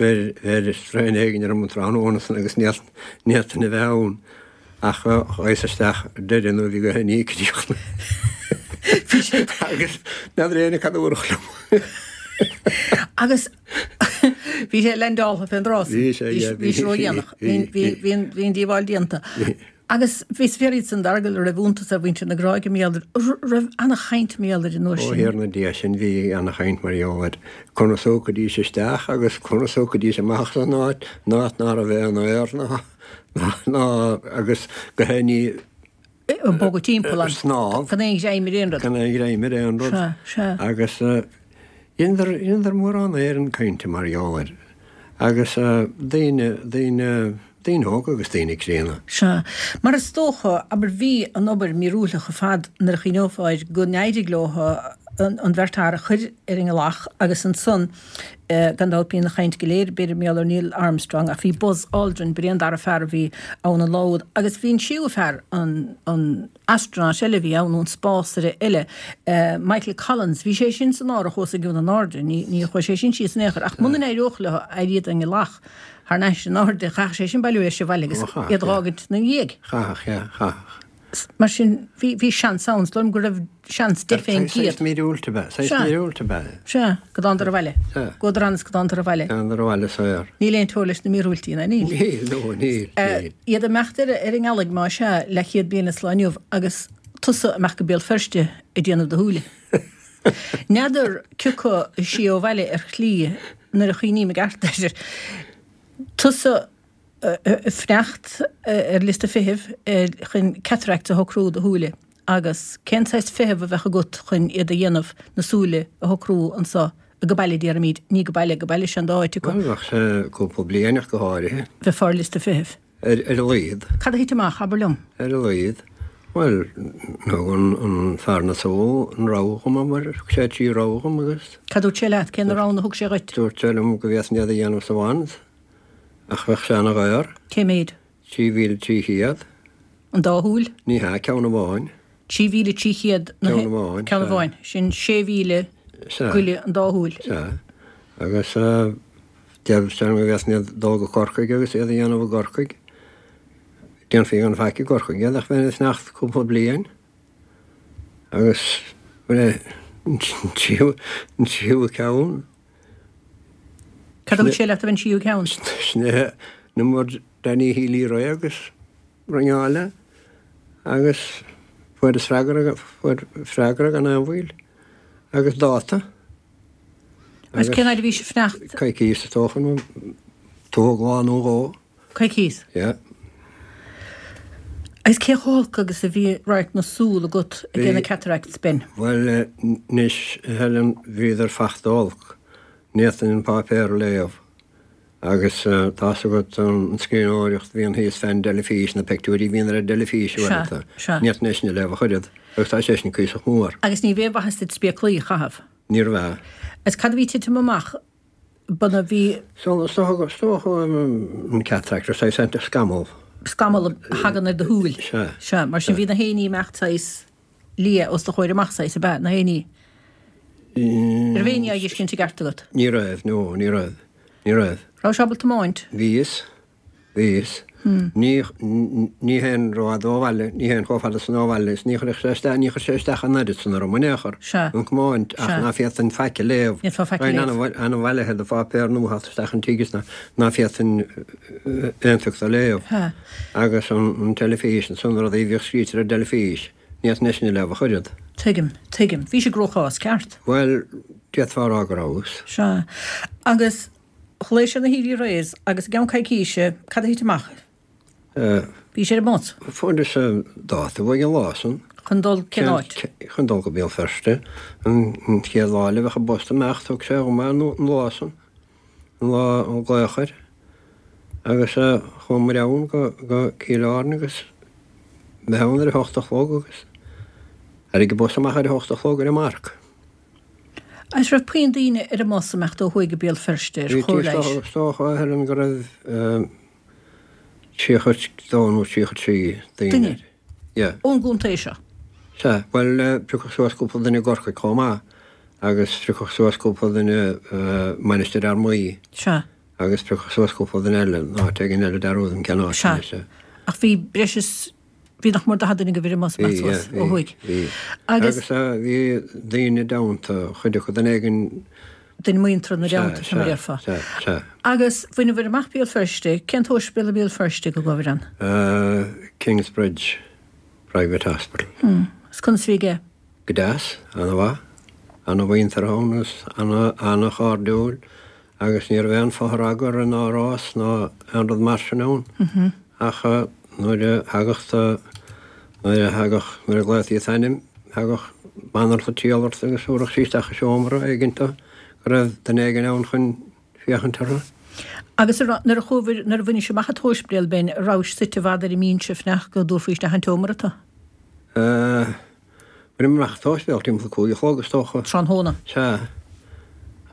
bheir bheir straidhn éigin orm an tráthnóna san agus ní fhéadfainn a bheith ann. Ach ghabhas isteach ar deireadh nuair a bhí gach ní críochnaithe. Bhí sé. Agus n'fheadar éinne cad a dúradh liom. Agus bhí sé leaindeáltha fén dtráth san. Bhí sé, yeah. Bhí sé ródhéanach. Bhí an díobháil déanta. Agus bhí is fíor iad san a Fheargail a raibh iontas ar mhuintir na Gráige mar gheall air, raibh ana-chaint mar gheall air an uair Ó sin. Thiarna Dia sin bhí ana-chaint mar gheall air. Conas a thiocfaidís isteach agus conas a thiocfaidís amach as an áit, an áit ná raibh aon aer ná. Ná agus go haon Ag bogadh timpeall an. Snámh. Gan aon ghreim ar aon rud. Gan aon ghreim ar aon rud. Sea, sea. Agus dheineadar, dheineadar mórán Éireann cainte mar gheall air. Agus daoine, daoine, daoine óga agus daoine críonna. Sea. Mar is dócha, abair, bhí an obair míorúilteach ar fad nuair a chuimhneofá air go n-éirigh leo an bheirt fhear a chur ar an ngealach agus ansan, Gan dabht bíonn an chaint go léir, b'fhéidir, mar gheall ar Neil Armstrong ach bhí Buzz Aldrin, b'in é an dara fear a bhí ann an lá úd agus bhí an séú fear, an an astronaut eile a bhí ann, nó an spásaire eile, Michael Collins, bhí sé sin san árthach os a gcionn in airde, ní ní chuaigh sé sin síos in aon chor ach muna n-éireodh leo éirí den ngealach thar n-ais in airde, chaithfeadh sé sin bailiú leis abhaile agus iad a dh'fhágaint 'na dhiaidh. Chaithfeadh, yeah, chaithfeadh. Mar sin, bhí bhí seans ann, is dóigh liom go raibh seans deich fén gcéad. Saghas míorúilt ab ea, saghas míorúilt ab ea. Sea, go dtánadar abhaile. Sea. Ghabhadar ann is go dtánadar abhaile. Thánadar abhaile saor. Níl aon teora leis na míorúiltí, ná níl? Níl, no, níl, níl. Iad ag imeacht ar ar an ngealaigh más ea, leathchéad bliain is lá inniu agus tusa amach go Béal Feirste ag déanamh do shúile. N'fheadar cioca siar ó bhaile ar shlí nuair a chuimhním i gceart air. Tusa ag fanacht ar liosta feithimh chun cataracts a shocrú do shúile agus cén saghas feithimh a bheadh agat chun iad a dhéanamh, na súile a shocrú anso go baile déarfaimid, ní go baile, go baile sin dá áit acu. Bhuel, bheadh sé cúpla bliain ach go háirithe. Bheifeá ar liosta feithimh. Ar a laghad. Cad a thit amach, abair liom? Ar a laghad. Bhuel, thug an fear na súl an rogha dhom, abair, thug sé trí rogha dhom agus. Cad dúirt sé leat? Cé na roghanna a thug sé dhuit? Dúirt sé liom go bhféadfainn iad a dhéanamh sa Mhans, ach bheadh sé ana-dhaor. Cé méid? Trí mhíle trí chéad. An dá shúil? Ní hea, ceann amháin. Trí mhíle trí chéad na. Ceann amháin. Ceann amháin. Sin sé mhíle goile an dá shúil. Sea. Agus deir sé liom go bhféadfainn iad dul go Corcaigh agus iad a dhéanamh i gCorcaigh. Déanfaí gan faic i gCorcaigh iad ach bheinn ag fanacht cúpla bliain agus bhuel an tríú an tríú ceann. Cad a dúirt sé leat an tríú ceann? Sin é number Danny Healy Rae agus ringeáil agus fuaireas freagra fuair freagra gan aon mhoill agus dáta. Agus cén fhad a bhí sibh ag fanacht? Coicís is dócha nó tóg lá nó dhó. Coicís? Yeah. Agus cé chomh holc agus a bhí radharc na súl agat ag déanamh cataracts b'in? Bhuel, anois, a Helen, bhíodar fachta olc. Ní fhéadfainn an páipéar a léamh. Agus tá's agat an scríbhneoireacht a bhíonn thíos fén dteilifís, na peictiúirí a bhíonn ar an dteilifís uaireanta. Ní fhéadfainn é sin a léamh ach oiread. Agus tá sé sin cuíosach mór. Agus ní raibh aon mhaitheas duit spéaclaí a chaitheamh? Ní raibh. Agus cad a bhí ag titim amach? B'in a bhí. So, is dócha, is dócha an cataract, saghas scamall. Scamall a thagann ar do shúil. Sea. Sea, mar sin bhí na héiní ag imeacht saghas liath os do chomhair amach saghas, ab ea, na héiní? Raibh éinní á dh'fheiscint i gceart agat? Ní raibh, no, ní raibh. Ní raibh. Raibh sé ábalta tiomáint? Bhíos. Bhíos. Ní, ní théinn rófhada ó bhaile, ní théinn chomh fada san ó bhaile is ní chuirfeadh sé isteach, ní chuir sé isteach an oiread san orm in aon chor, Sea. an tiomáint, ach Sea. ná féadfainn faic a léamh. Ní fhéadfá faic a Bheinn léamh. ana-bhailithe do pháipéar nua a theacht isteach an tigh is ná, ná féadfainn aon phioc a léamh. Sea. Agus an, an teilifís, ansan na rudaí a bhíodh scríte ar an dteilifís, ní fhéadfainn é sin a léamh ach oiread. Tuigim, tuigim. Bhí sé i gcruachás, ceart? Bhuel, d'fhéadfá a rá go rabhas. Sea. Agus ghlaoigh sé na Healy Raes agus i gceann coicíse, cad a thit amach? Bhí sé ar an mbus. Fuaireas dáta uaidh an lá san. Chun dul cén áit? Chun dul go Béal Feirste. An chéad lá eile bheadh an bus ag imeacht, thug sé dhom é an lá san, an lá an glaoch air. Agus chuamair ann go Cill Airne agus bheith ann ar a hocht a chlog agus tháinig an bus amach ar a hocht a chlog ar an marc. Agus raibh puinn daoine ar an mbus ag imeacht ó thuaidh go Béal Feirste ar chóir leighis? Is dócha, a Helen, go raibh tríocha a dó nó tríocha a trí daoine Duine? air. Yeah. Ón gcontae seo? Sea. Bhuel, priocadh suas cúpla duine i gCorcaigh chomh maith agus priocadh suas cúpla duine i Mainistir Fhear Maí. Sea. Agus priocadh suas cúpla duine eile in áit éigin eile, dearúdaim cén áit Sea. anois. Ach bhí breis is Bhí nach mór daichead duine agaibh ar an mbus Bhí, amach suas yeah, ó bhí, thuaidh. bhí. Agus. Agus bhí daoine i dteannta, chuid acu duine éigin. Duine muinteartha ina Sea, dteannta, sin mar a sea, déarfá. sea, sea. Agus bhaineabhair amach Béal Feirste, cén t-ospidéal i mBéal Feirste go gcuabhair ann? Kingsbridge Private Hospital. Hmm. Agus conas a bhí aige? Go deas, ana-mhaith. Ana-mhuinteartha ann agus ana, ana-chairdiúil agus ní raibh aon fothragadh ná rás ná aon rud mar sin ann. Ach nuair a thagadh do, nuair a thagadh, nuair a ghlaotaí t'ainm, thagadh banaltra triall ort agus thabharfadh sí isteach i seomra éigin tú, go raibh duine éigin ann chun féachaint orthu. Agus a raibh, nuair a chuabhair, nuair a bhainis amach an t-ospidéal b'in, a rabhais suite i bhfad ar an mbinse ag fanacht go dtabharfaí isteach an tseomra tú? Eh, bhaineamar amach an t-ospidéal timpeall a cúig a chlog is dócha. Tráthnóna? Sea.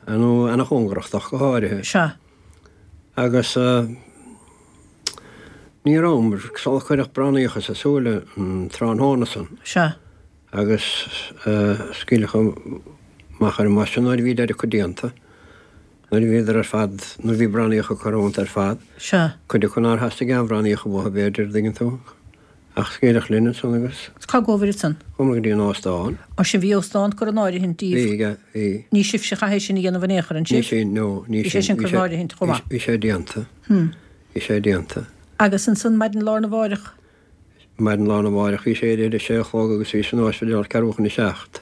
Nó ana-chóngarach dó ach go háirithe. Sea. Agus ní rabhamar sular cuireadh bránaíocha sa súile an tráthnóna san. Sea. Agus scaoileadh amach ar an mbus sinn nuair a bhí deireadh acu déanta. Nuair a bhíodar ar fad, nuair a bhí bránaíocha curtha iontu ar fad. Sea. Cuid acu nár theastaigh aon bhránaíocha uathu b'fhéidir, an dtuigeann tú. Ach scaoileadh linn ansan agus. Is cá gcuabhair ansan? Chuamar go dtí an óstán. Ó sin bhí óstán curtha in áirithint daoibh. Bhí, yeah, bhí. Ní sibhse a chaith é sin a dhéanamh in aon chor, an Ní sibh? sin, no, ní Bhí sé sin. sin curtha in áirithint chomh maith. Bhí sé déanta. Bhí sé déanta. Agus ansan maidin lá arna mháireach? Maidin lá arna mháireach bhí sé éirithe ar a sé a chlog agus bhí san ospidéal ceathrú chun a seacht.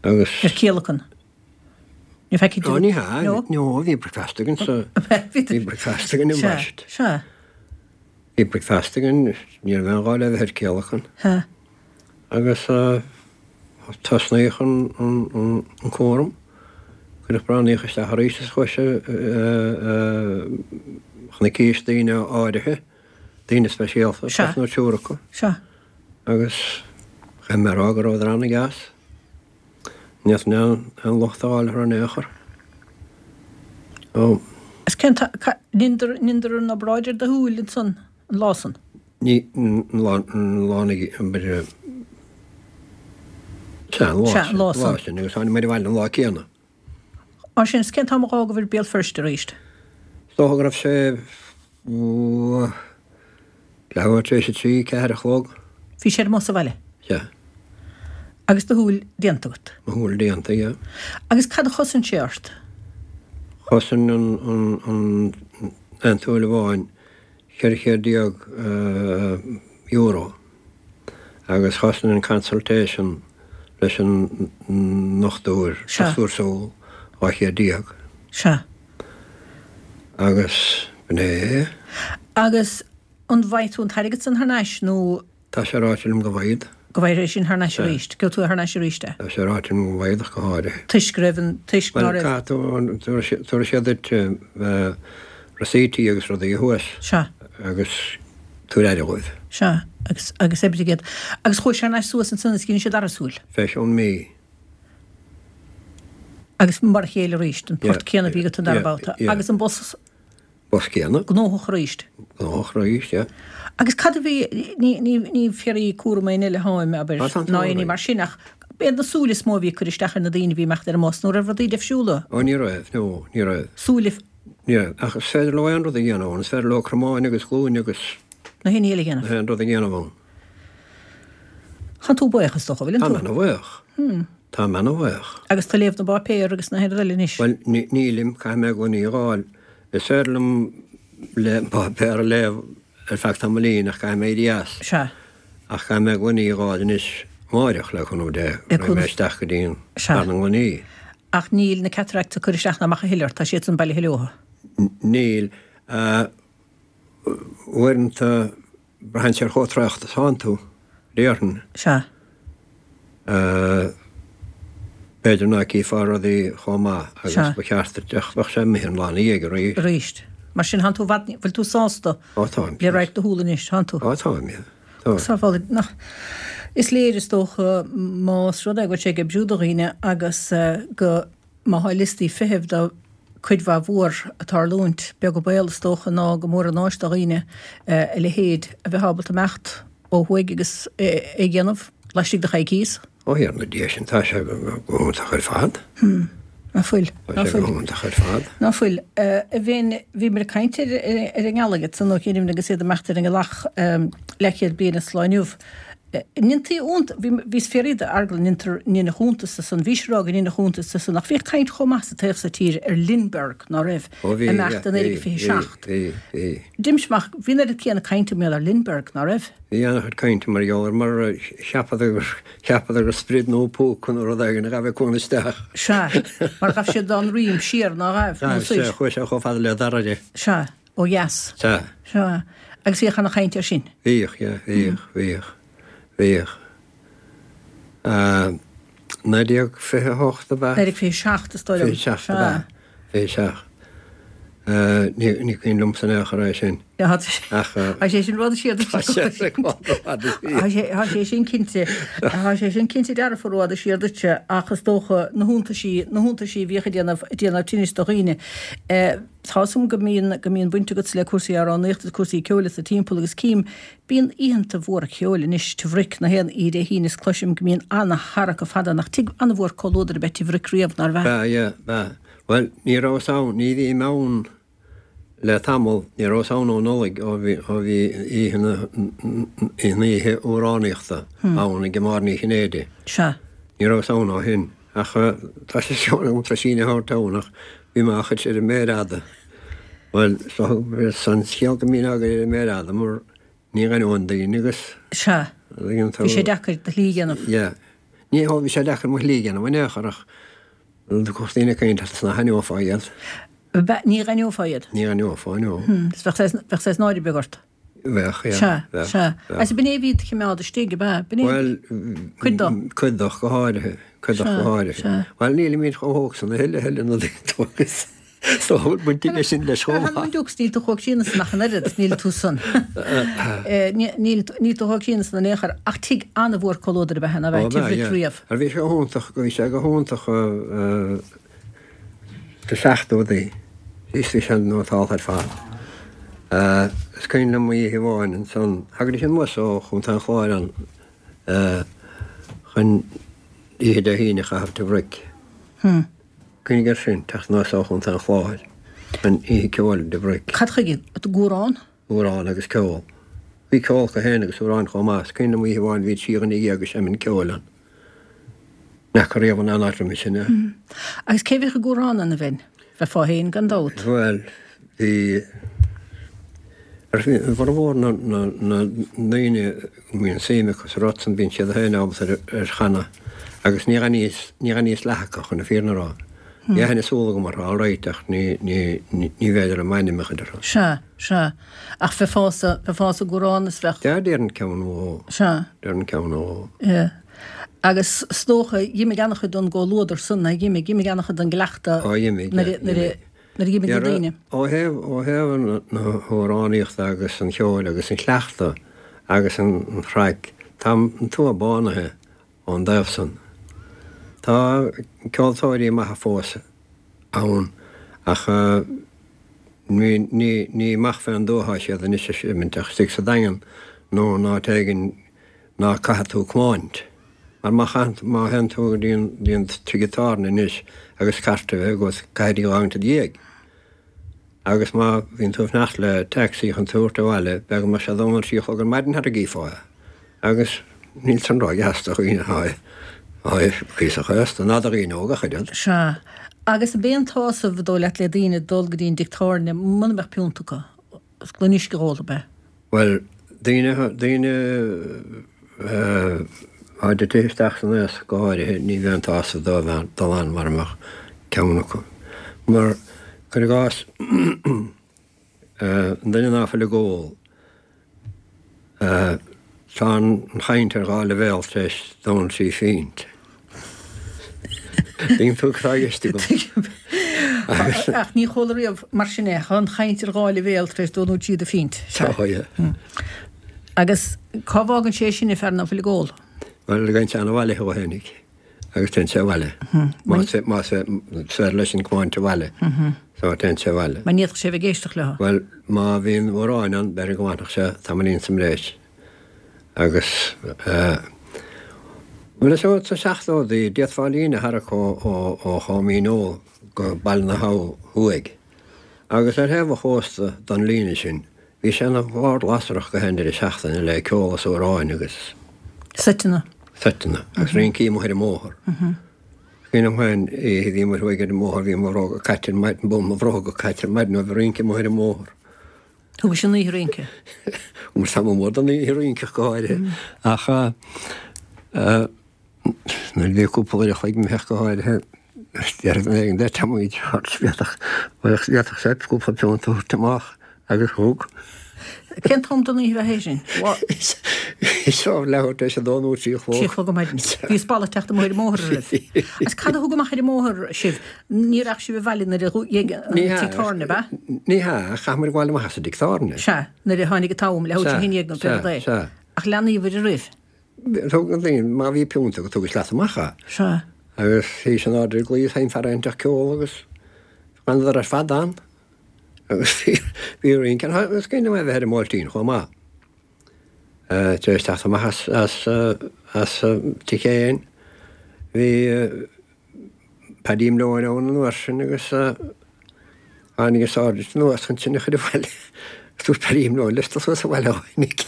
Agus. Ar céalacan? Ní feicfidh tú. Ó, ní hea, No? no, bhí breakfast againn sa, bhí breakfast againn i Sea, mbaist. sea. Bhí breakfast againn, ní raibh aon ghá le bheith ar céalacan. Sea. Agus tosnaíodh an, an, an, an cúram. Cuireadh breathnaíodh isteach arís is chuaigh sé chun na císte daoine áirithe, daoine speisialta, Sea. beirt nó triúr acu. Sea. Agus chaithfidh mé a rá go rabhadar an-deas. Ní fhéadfainn aon, aon locht a fháil orthu in aon chor. Ó. Is cén t-, ca, n'fhionndar, n'fhionndar an obráid ar do shúil ansan, an lá san? Ní, an lá, an lá na, an b'fhéidir, sea, an lá Sea, an sin, lá lá san. sin, agus tháinig muid abhaile an lá céanna. Mar sin, is cén t-am a dh'fhágabhair Béal Feirste arís? Is dócha go raibh sé, ó, leathuair tar éis a trí, ceathair a chlog. Bhí sé ar an mbus abhaile? Sea. Agus do shúil déanta agat? Mo shúil déanta, yeah. Agus cad a chosain sé ort? Chosain an, an, an, an tsúil amháin ceithre chéad déag euro agus chosain an consultation leis an ndochtúir, Sea. dochtúir súl, dhá chéad déag. Sea. Agus b'in é. Agus an bhfaighidh tú an t-airgead san thar n-ais nó? Tá sé ráite liom go bhfaighid. Go bhfaighidh é sin thar n-ais Sea. arís. Gheobhaidh tú thar n-ais arís é. Tá sé ráite liom go bhfaighid ach go háirithe. Toisc go raibh an, toisc ná Bhuel, raibh. caithfidh tú an, tabharfaidh siad duit receiptí agus rudaí thuas. Sea. Agus tabhair aire dhóibh. Sea, agus, agus oibrigh iad. Agus chuaigh sé thar n-ais suas ansan is dhein siad dara súil. Fé cheann mí. Agus mar a chéile arís, an port Yeah, céanna a bhí agat an dara yeah, babhta. yeah. Agus an bus. Bus céanna. Gnóthach arís. Gnóthach arís, yeah. Agus cad a bhí, ní, ní, ní ag fiafraí cúram éinne eile tháim, abair, Ah, tá an ná t-ádh éinne orainn. mar sin, ach b'iad na súile is mó a bhí ag cur isteach ar na daoine a bhí ag imeacht ar an mbus, nó raibh rudaí deifriúla? Ó, ní raibh, no, ní raibh. Súile. Ní raibh, ach is féidir leo aon rud a dhéanamh ann, is féidir leo cromáin agus glúine agus. Na haon ní eile a dhéanamh. Na haon rud a dhéanamh ann. Tá tú buíoch is dócha, bhfuil Tá tú? mé ana-bhuíoch. Hmm. Tá mé ana-bhuíoch. Agus tú ag léamh na bpáipéar agus na haon rud eile anois? Bhuel, nílim, caithfidh mé gloiní a dh'fháil. Is féidir liom le páipéar a léamh ar feadh tamaillín ach caithfidh mé éirí as. Sea. Ach caithfidh mé gloiní a dh'fháil anois amáireach le cúnamh Dé. Le Raghaidh mé cúnamh. isteach go dtí an Sea. fear na ngloiní. Ach níl na cataracts ag cur isteach ná amach a thuilleadh ort, tá siad san bailithe leothu. Níl. Uaireanta braitheann sé ar chomh traochta is atánn tú, déarfainn. Sea. B'fhéidir ná cífeá rudaí chomh maith agus Sea. ba cheart duit ach bheadh sé imithe an lá ina dhiaidh arís. Arís. Mar sin, thánn tú i bhfad, bhfuil tú sásta Ó, táim. le radharc do shúl anois, thánn tú? Ó, táim, yeah. Tá. Sábháil, nach. Is léir is dócha más rud é go bhfuil sé ag oibriú do dhaoine agus go má thá liostaí feithimh do cuid mhaith mhór ag tarlúint, beag an baol is dócha ná go mór an áis do dhaoine a leithéid a bheith ábalta imeacht ó thuaidh agus é a dhéanamh laistigh de choicíos. Ó thiar na dhiaidh sin, tá sé go hiontach ar fad. Ná fuil, Tá ná sé go fuil. hiontach ar fad. Ná fuil. A Bhinn, bhíomar ag caint ar ar an ngealaigh ansan ó chianaibh agus iad ag imeacht ar an ngealach leathchéad bliain as lá inniu. Ndéantaí iontas, bhí bhíos ag fiafraí d'Fheargal an ndéantar ndéanadh iontas de san, bhís ag rá go ndéanadh iontas de san, ach bhíodh caint chomh maith sa taobh so tíre ar Lindbergh, ná raibh, Ó bhí, imeacht yeah, i naoi bhí, déag fiche bhí, seacht. bhí, bhí. D'imigh amach, bhí an oiread céanna cainte mar gheall ar Lindbergh, ná raibh? Bhí an-chuid cainte mar gheall air mar cheapadar gur cheapadar gur sprid nó púca nó rud éigin a ghabh ag cuan isteach. Sea, mar ghabh siad dá ndroim siar ná ghabh, nó Ghabh, sea, soir. chuaigh sé chomh fada le Doire. Sea, ó dheas. Sea. Sea, agus bhíodh ana-chaint air sin. Bhíodh, yeah, bhíodh, bhíodh, bhíodh. Naoi déag fiche a hocht ab ea? Naoi déag fiche seacht is dóigh liom. Fiche seacht ab ea, fiche seacht. Ní ní cuimhin liomsa in aon chor é sin. Ach Tá sé sin rud siar Tá sé sin rud Tá sé tá sé sin cinnte tá sé sin cinnte dearfa rud siar duitse ach is dócha na hiontaisí na hiontaisí a bhíodh ag déanamh ag déanamh tinnis do dhaoine. Tá 'fhios a'm go mbíonn go mbíonn baint agat le cúrsaí amhránaíochta agus cúrsaí ceoil sa timpeall agus cím bíonn oícheanta mhóra ceoil anois Tigh Bhric na haon oíche Dé hAoine is cloisim go mbíonn ana-tharrac fada nach tigh ana-mhór comhluadar ab ea Tigh Bhric riamh nár bhea? B'ea, yeah, b'ea. Bhuel, ní rabhas ann, ní bhím ann Le tamall, ní rabhas ann ó Nollaig ó bhí ó bhí oíche na an oíche amhránaíochta ann ag Máire Ní Chinnéide. Sea. Ní rabhas ann ó shin. Ach tá sé seo agam tar éis síneadh a thabhairt ann ach bhí mé á chur ar an méar fhada. Bhuel, so an scéal go mbínn á gcur ar an méar fhada mar ní aithneoinn daoine agus. Sea. Bhí sé deacair do shlí a dhéanamh. Yeah. Ní bhí sé deacair mo shlí a dhéanamh in aon chor ach bhí daoine ag caint ach nach n-aithneofá iad. Ní aithneofá iad? Ní aithneofá, no. Is bheadh saghas náire beag ort? Bheadh, yeah. Sea, sea. Agus b'in é a bhí do choimeád istigh, ab ea? B'in é? Bhuel, cuid dó. Cuid dó go háirithe, cuid dó go háirithe. Sea, sea. Bhuel, nílimid chomh hóg san a thuilleadh, a thuilleadh na daoine agus so bhfuil baint aige sin leis chomh maith. Dukes, níl tú chomh críonna san ach an oiread, níl tú san. Níl tú chomh críonna san in aon chor, ach tigh an-mhór comhluadair ab ea, ná Ó, bheith, ab tigh ea, Mhic yeah. Riabh. Bhí sé go hiontach, bhí sé go hiontach Sna seachtóidí, is bhí sé nótálta ar fad. Is cuimhin liom oíche amháin ansan, thagaidís anuas ó Chontae an Chláir ann chun oíche Dé hAoine a chaitheamh Tigh Bhric. Cuimhnigh air sin, teacht anuas ó Chontae an Chláir chun oíche ceoil i dTigh Bhric. Cad chuige? Amhrán? Amhrán agus ceol. Bhí ceol acu féin agus amhráin chomh maith. Is cuimhin liom oíche amháin bhí trí dhuine dhéag ag seimint ceoil ann. N'fheaca riamh in aon áit roimhe sin é. Agus cé bhíodh ag amhrán ann, a Bhein? Bheifeá féin, gan dabht. Bhuel, bhí, ar bhformhór na ndaoine go mbíonn suim acu sa rud san, bíonn siad féin ábalta ar chanadh agus ní aithníos, ní aithníos leath acu, chun na fírinne a rá. Bhí aithne súl agam orthu, alright, ach ní, ní, ní b'fhéidir liom ainm a chur orthu. Sea, sea. Ach bheifeása, bheifeása ag amhrán is bheadh. Sea, déarfainn ceann nó dhó. Sea. Déarfainn ceann nó dhó. Yeah. Agus is dócha, dh'imigh an-chuid den gcomhluadar san, nó dh'imigh, dh'imigh an-chuid den gcleachtadh Ó, dh'imigh, nuair a, nuair a, nuair a dh'imigh na daoine. Ó thaobh, ó thaobh na hamhránaíochta agus an cheoil agus an chleachtaidh agus an chraic, tá an tuath bánaithe ón dtaobh san. Tá ceoltóirí maithe fós ann ach ní, ní, ní amach fén dtuath atá siad anois ag seimint ach istigh sa Daingean nó in áit éigin ná caithfidh tú tiomáint. Mar má chaitheann, má théann tú go dtí an, dtí an tigh tábhairne anois agus cairt a bheith agat, caithfidh tú a fhágaint id dhiaidh. Agus má bhíonn tú ag fanacht le taxi chun tú a thabhairt abhaile, b'fhéidir go mbeadh sé dó nó trí a chlog ar maidin sara gcífeá é. Agus níl san ródheas do dhaoine atá, atá cuíosach aosta, ná do dhaoine óga ach oiread. Sea. Agus ab é an tsásamh, an dóigh leat, le daoine dul go dtí an dtigh tábhairne muna mbeadh piúnt acu, gloine uisce a dh'ól, ab ea? Bhuel, daoine, daoine atá tite isteach san aos go háirithe, ní bheadh an tsásamh dóibh dul ann mura mbeadh ceann acu. Mar, cuir i gcás, an duine ná fuil ag ól, Tá an chaint ar dhá leibhéal tar éis dó nó trí phingint. Tuigeann tú cad tá i gceist agam. Tuigim. Ach ní chuala riamh mar sin é. Tá an chaint ar dhá leibhéal tar éis dó nó trí de phingint. Tá, yeah. Agus cá bhfágann sé sin an fear ná fuil ag ól? Bhuel, gabhann sé abhaile dhó fhéinig agus téann sé abhaile. Más más féidir leis an tiomáint abhaile. So téann sé abhaile. Mar ní fhéadfadh sé a bheith ag éisteacht leo. Bhuel, má bhíonn amhráin ann, b'fhéidir go bhfanfadh sé tamaillín sa mbreis. Agus eh, bhuel is ea, sna seachtóidí, d'fhéadfá líne a tharrac ó ó ó Chom Dhíneol go Baile na hAbha thuaidh. Agus ar thaobh an chósta don líne sin, bhí sé ina bhord lasrach gach aon deireadh seachtaine le ceol is amhráin agus. Seiteanna. Seiteanna. Agus rincí amuigh ar an mbóthar. Cuimhin liom féin, oíche bhí muid thuaidh ar an mbóthar, bhí mo bhróga caite ar maidin, bun mo bhróga caite ar maidin ó bhí rince amuigh ar an mbóthar. Thugais an oíche rince? Bhuel, tamall mór den oíche rince ach go háirithe. Ach nuair a bhí cúpla uair a chloig imithe ach go háirithe, déarfaidh duine éigin duit, táimid thart, d'fhéadfadh, d'fhéadfadh sé cúpla piúnt a thabhairt amach agus thug. Cén t-am den oíche a bheadh é sin? Is ó leathuair tar éis a dó nó trí a chlog. Trí a chlog ar maidin. Bhí spalla ag teacht amuigh ar an mbóthar an raibh? Agus cad a thug amach ar an mbóthar sibh? Ní raghadh sibh abhaile nuair a dhéag an tigh tábhairne, ab ea? Ní hea, chaith muid gabháil amach as an dtigh tábhairne. Sea, nuair a tháinig an t-am, leathuair tar éis a haon déag nó pé rud é. Sea, sea. Ach leanaíobhair oraibh? Thug na daoine, má bhí piúnt agat, thugais leat amach é. Sea. Agus théis an airde ag luí, sheinn fear inteacht ceol agus d'fhanadar ar fad ann. Agus bhí rince ann. Is cuimhin liom é bheith ar an mBuailtín chomh maith. Tar éis teacht amach as as as Tigh Sheáin bhí Paddy Malone ann an uair sin agus Tháinig an sáirsint anuas chun sinn a chur abhaile. Dúirt Paddy no liosta suas abhaile a tháinig.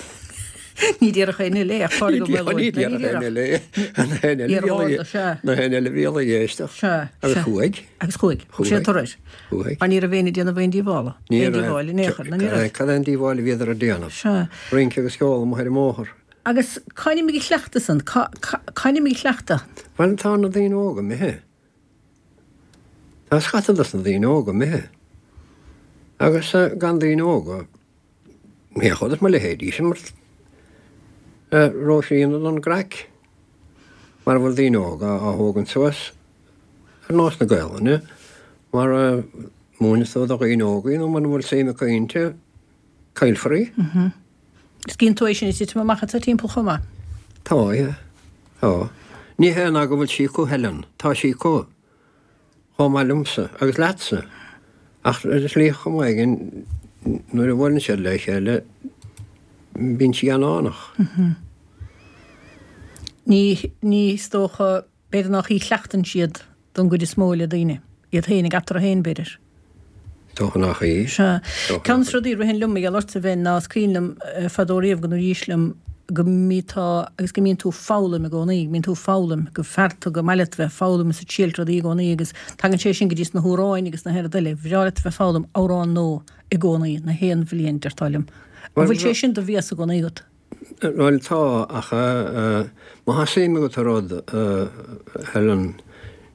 Ní déarfadh éinne eile é ach Pádraig Ó Ní Maolóid. déarfadh éinne eile é. Na héinne eile Iar bhí sea. Na héinne eile bhí ag éisteacht. Sea, Agus sea. chuaigh. Agus chuaigh. Thug sé Chuaigh. turais. Chuaigh. Mar ní raibh éinne ag déanamh aon díobhála. Ní Aon raibh. díobháil in aon chor, ná ní raibh. Cad é an díobháil a bhíodar ag déanamh? Sea. Rince agus ceol amuigh ar an mbóthar. Agus cá n-imigh an cleachtadh san? Cá cá n-imigh an cleachtadh? Bhuel tá na daoine óga imithe. Tá scata dos na daoine óga imithe. Agus gan daoine óga, ní chuideodh mo leithéidí sin mar róisín don gcraic. Mara bhfuil daoine óga á thógaint suas ar nós na Gaelainne, mar a múineas tú do dhaoine óga í nó mura bhfuil suim acu inti, caillfear í. Is cíonn tú é sin ag titim amach atá timpeall chomh maith. Tá, yeah. Tá. Ní hé ná go bhfuil sí acu, Helen. Tá sí acu. Chomh maith liomsa agus leatsa. Ach ar shlí chomh maith éigin, nuair a bhuaileann siad le chéile, bíonn sí an-fhánach. Ní, ní, is dócha, b'fhéidir nach í a chleachtann siad don gcuid is mó le daoine, iad féin ag eatarthu féin, b'fhéidir. Dócha nach í. Sea. Dócha Ceann nach de na rudaí a ritheann liom, a gheall ortsa bheinn, ná is cuimhin liom fadó riamh go ndúraís liom go mbíteá agus go mbíonn tú ag foghlaim i gcónaí, go mbíonn tú ag foghlaim, gur fear tú, gur maith leat bheith ag foghlaim is ag triailt rudaí i gcónaí agus tagann sé sin go dtí sna hamhráin agus na haon rud eile. Bhreá leat bheith ag foghlaim amhrán nua i gcónaí, na haon bhliain, deirteá liom. An bhfuil sé sin de bhéas i gcónaí agat? Bhuel tá, ach má tá suim agat i rud, Helen,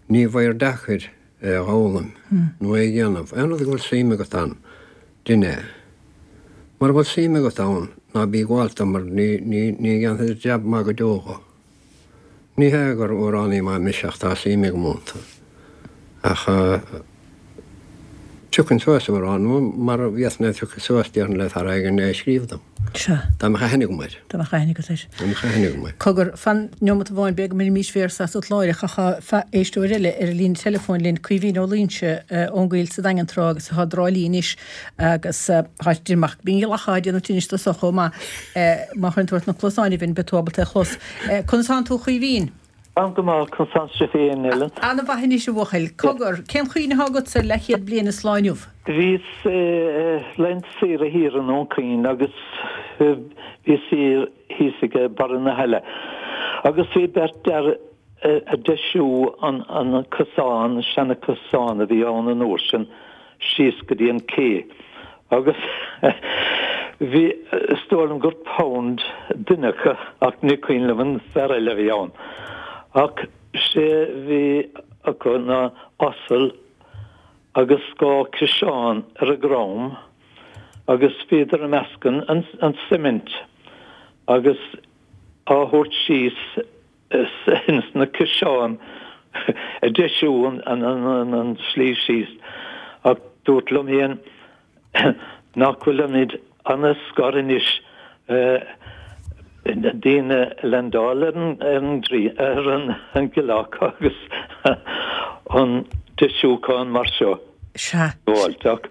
ní bheidh deacair é a fhoghlaim nó é a dhéanamh. Aon rud go bhfuil suim agat ann, déan é. Mura bhfuil suim agat ann, ná bí ag gabháil dó mar ní ní dhéanfaidh tú jab maith go deo dho. Ní hé gur amhránaí maith mise ach tá suim agam iontu. Ach tiocfainn suas amhrán nua mar a bhíos-na tiocfaidh suas déarfainn le fear éigin é a scríobh dom. Sea. Dá mbeadh aithne agam air. Dá mbeadh aithne agat air. Dá mbeadh aithne agam air. Cogar, fan neomat amháin, b'fhéidir go mbainfimís véarsa asat láithreach ach tá éisteoir eile ar an líne teileafóin linn, Caoimhín Ó Loingsigh ón gCoill sa Daingean Trá agus atá i dTrá Lí anois agus tá sé amach bíonn ghlacha á déanamh tinnis do so chomh maith. Má chuireann tú ort na cluasáin a Bhinn beidh tú ábalta é a chlos. Conas tánn tú a Chaoimhín? Táim go maith, conas tánn sibh féin, Ellen? Ana-mhaith anois, a bhuachaill. Cogar, cén chuimhne atá agatsa ar leathchéad bliain is lá inniu? Bhíos laethanta saoire thiar i nDún Chaoin agus bhíos thiar thíos ag barra na haille agus bhí beirt fhear ag deisiú an an cosán, seana cosán a bhí ann an uair sin, síos go dtí an cé agus bhí, is dóigh liom gur Pound duine acu ach ní cuimhin liom an fear eile a bhí ann. Ach sé bhí acu ná asal agus dhá ciseán ar a ndroim agus bhíodar ag meascadh an suimint agus á thabhairt síos ins na ciseáin ag deisiú an slí síos ach dúrt liom féin nach bhfuilimid ana-scoir anois daoine ag landáil ar an ar an gceallach agus an deisiúchán mar seo. Sea. Ach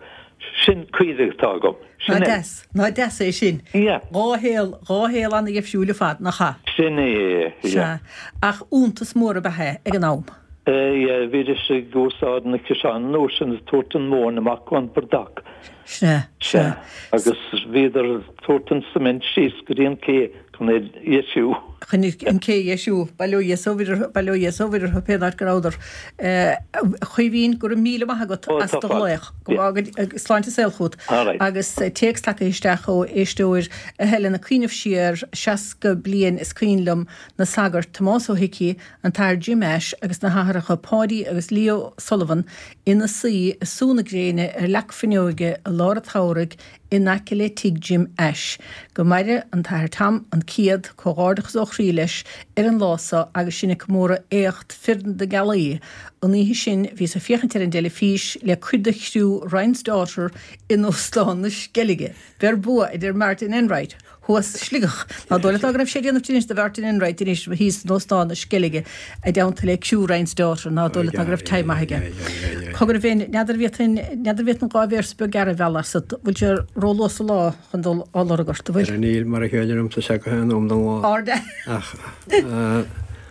sin cuimhne atá agam. Sin é. Deas. Nach deas é sin. Yeah. Dhá shaol, dhá shaol ana-dhifriúil ar fad, nach ea? Sin é, yeah. Sea. Ach iontas mór ab ea é ag an am. Yeah, bhídís ag úsáid na ciseáin an uair sin ag tabhairt an mhóin amach ón bportach. Sea, sea. Agus bhíodar ag tabhairt an cement síos go dtí an cé chun é dheisiú. Chun an cé a dheisiú. Bail ó Dhia is ó Mhuire, bail ó Dhia is ó Mhuire orthu pé áit go rabhadar. A Chaoimhín, go raibh míle maith agat as do ghlaoch. Go bhfága sláinte is saol chugat. Agus téacs tagtha isteach ó éisteoir a Helen ag cuimhneamh siar seasca bliain is cuimhin liom na sagairt Tomás Ó hIcí, an tAthair Jim Ashe agus na hAthaireacha Páidí agus Leo Sullivan ina suí i sú na gréine ar leac fuinneoige i lár an tsamhraidh in aice le tigh Jim Ashe. Go maire an tAthair Tom an céad, comhghairdeachas ó chroí leis ar an lá so agus sinn ag comóradh éacht Fir na Gealaí. An oíche sin bhíos ag féachaint ar an dteilifís le cuid de chriú Ryan's Daughter in Óstán na Sceilge. Beir bua, a deir Martin Enright. thuas i Sligeach. Ná dóigh leat ná go raibh sé ag déanamh tinnis do Mhartin Enright anois thíos in Óstán na Sceilge i dteannta le criú Ryan's Daughter, ná dóigh leat ná go raibh time maith aige. Cogar a Bhinn, n'fheadar an bhféadfainn, n'fheadar an bhféadfainn dhá véarsa beag gearr a mhealladh asat, bhfuil sé róluath sa lá chun dul á lorg ort, an bhfuil? Níl, mar a chéile liomsa sé go haon am den lá. Ard. Ach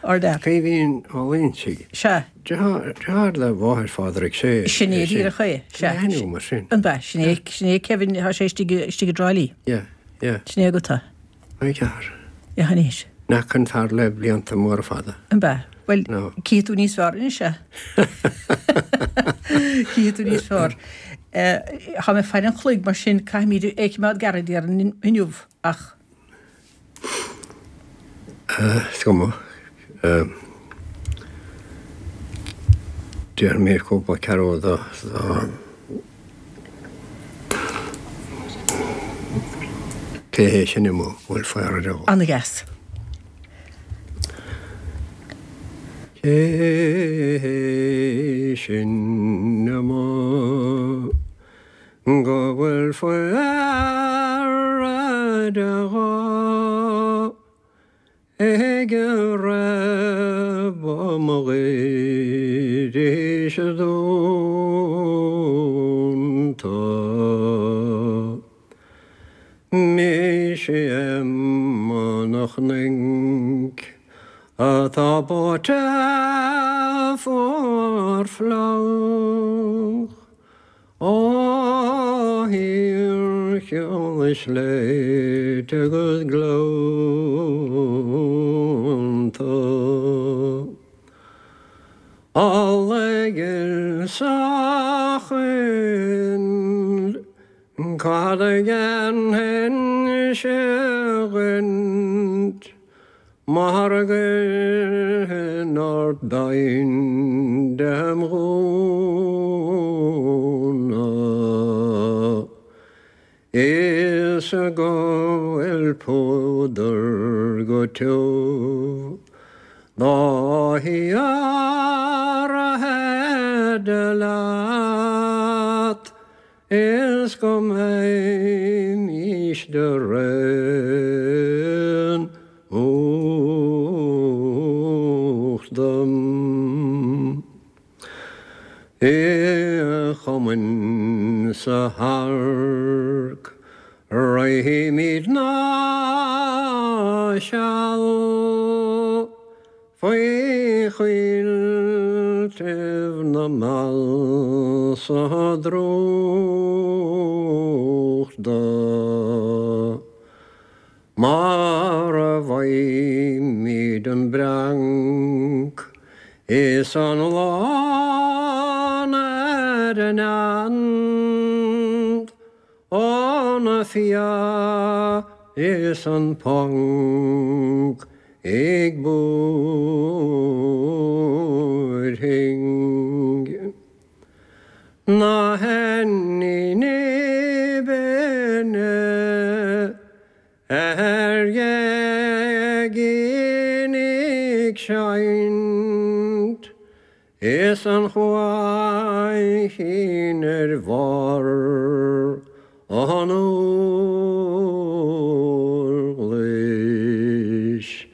Ardfhear. Caoimhín Ó Loingsigh. Sea. Deartháir le mháthair Phádraig, sé. Sin é díreach é. Sea. Ainm mar sin. An b'ea, sin é, sin é Kevin, tá sé istigh, istigh i dTrá Lí. Yeah, yeah. Sin é agat é. Ai cear. Yeah, anois. Nach an fear le blianta móra fada. An b'ea? Bhuel, No. cífidh tú níos fearr anois é. Cífidh tú níos fearr. Tá mé faire an chloig mar sin caithfimid é choimeád gairid déarfainn inniu ach. Is cuma. Déarfaidh mé cúpla ceathrú do Cé hé sin amuigh bhfuil faire dó? Ana-dheas. Cé hé sin amuigh go bhfuil faire dó? Ag rá ba mo ghaois dúnta. Mise Emma nach Ninc atá báite fuar fliuch Ó thír cheol is sléibhte agus gleannta. Alla sa choill cad a dhéanfainn-se dhuit mar gcuirfinn ort beinn dem ghúna Is go bhfuil púdar go tiubh dá hiarraidh leat is go mbeimís de réim uchtdom. I chumainn sa thairc rithimid ná seal faoi choilltibh na mbeal sa drúchta. Mar a bhfaighimid an breanc is an lán ar an ant, ó na fia is an ponc ag búirthing. Na henni bene ar gheigín ag seinnt is an chuaichín ar bharr an orghlais.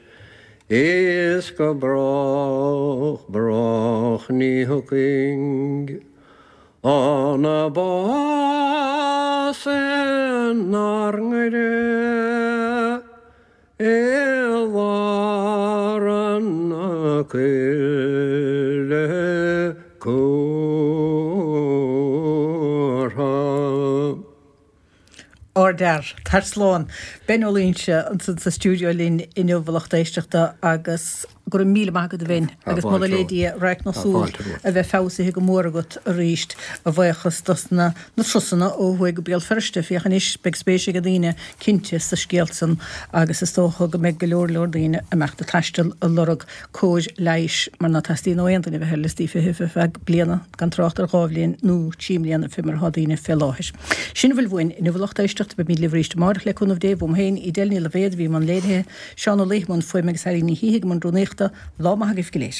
Is go brách, brách ní thiocfainn an a bás inár ngaire i lár na coille cúrtha. Ardfhear, tar slán. Ben Ó Loingsigh ansan sa stiúideo linn inniu a lucht éisteachta agus go raibh míle maith agat a Bhein agus moladh le Dia radharc na súl a bheith feabhsaithe go mór agat arís a bhuíochas dos na na turasanna ó thuaidh go Béal Feirste. Féach anois, beidh spéis ag daoine cinnte sa scéal san agus is dócha go mbeidh go leor leor daoine ag imeacht ag taisteal ag lorg cóir leighis mar ná teastaíonn ó aon duine bheith ar liostaí feithimh ar feadh bliana gan trácht ar dhá bhliain nó trí mbliana fé mar atá daoine fé láthair. Sin a bhfuil uainn inniu a lucht éisteachta, beimid libh arís amárach le cúnamh Dé, uaim féin, Edel Ní Loibhéad a bhí i mbun léirithe, Seán Ó Laoi i mbun fuaime agus Eileen Ní Shíthigh i mbun rúnaíochta. Lá maith agaibh go léir.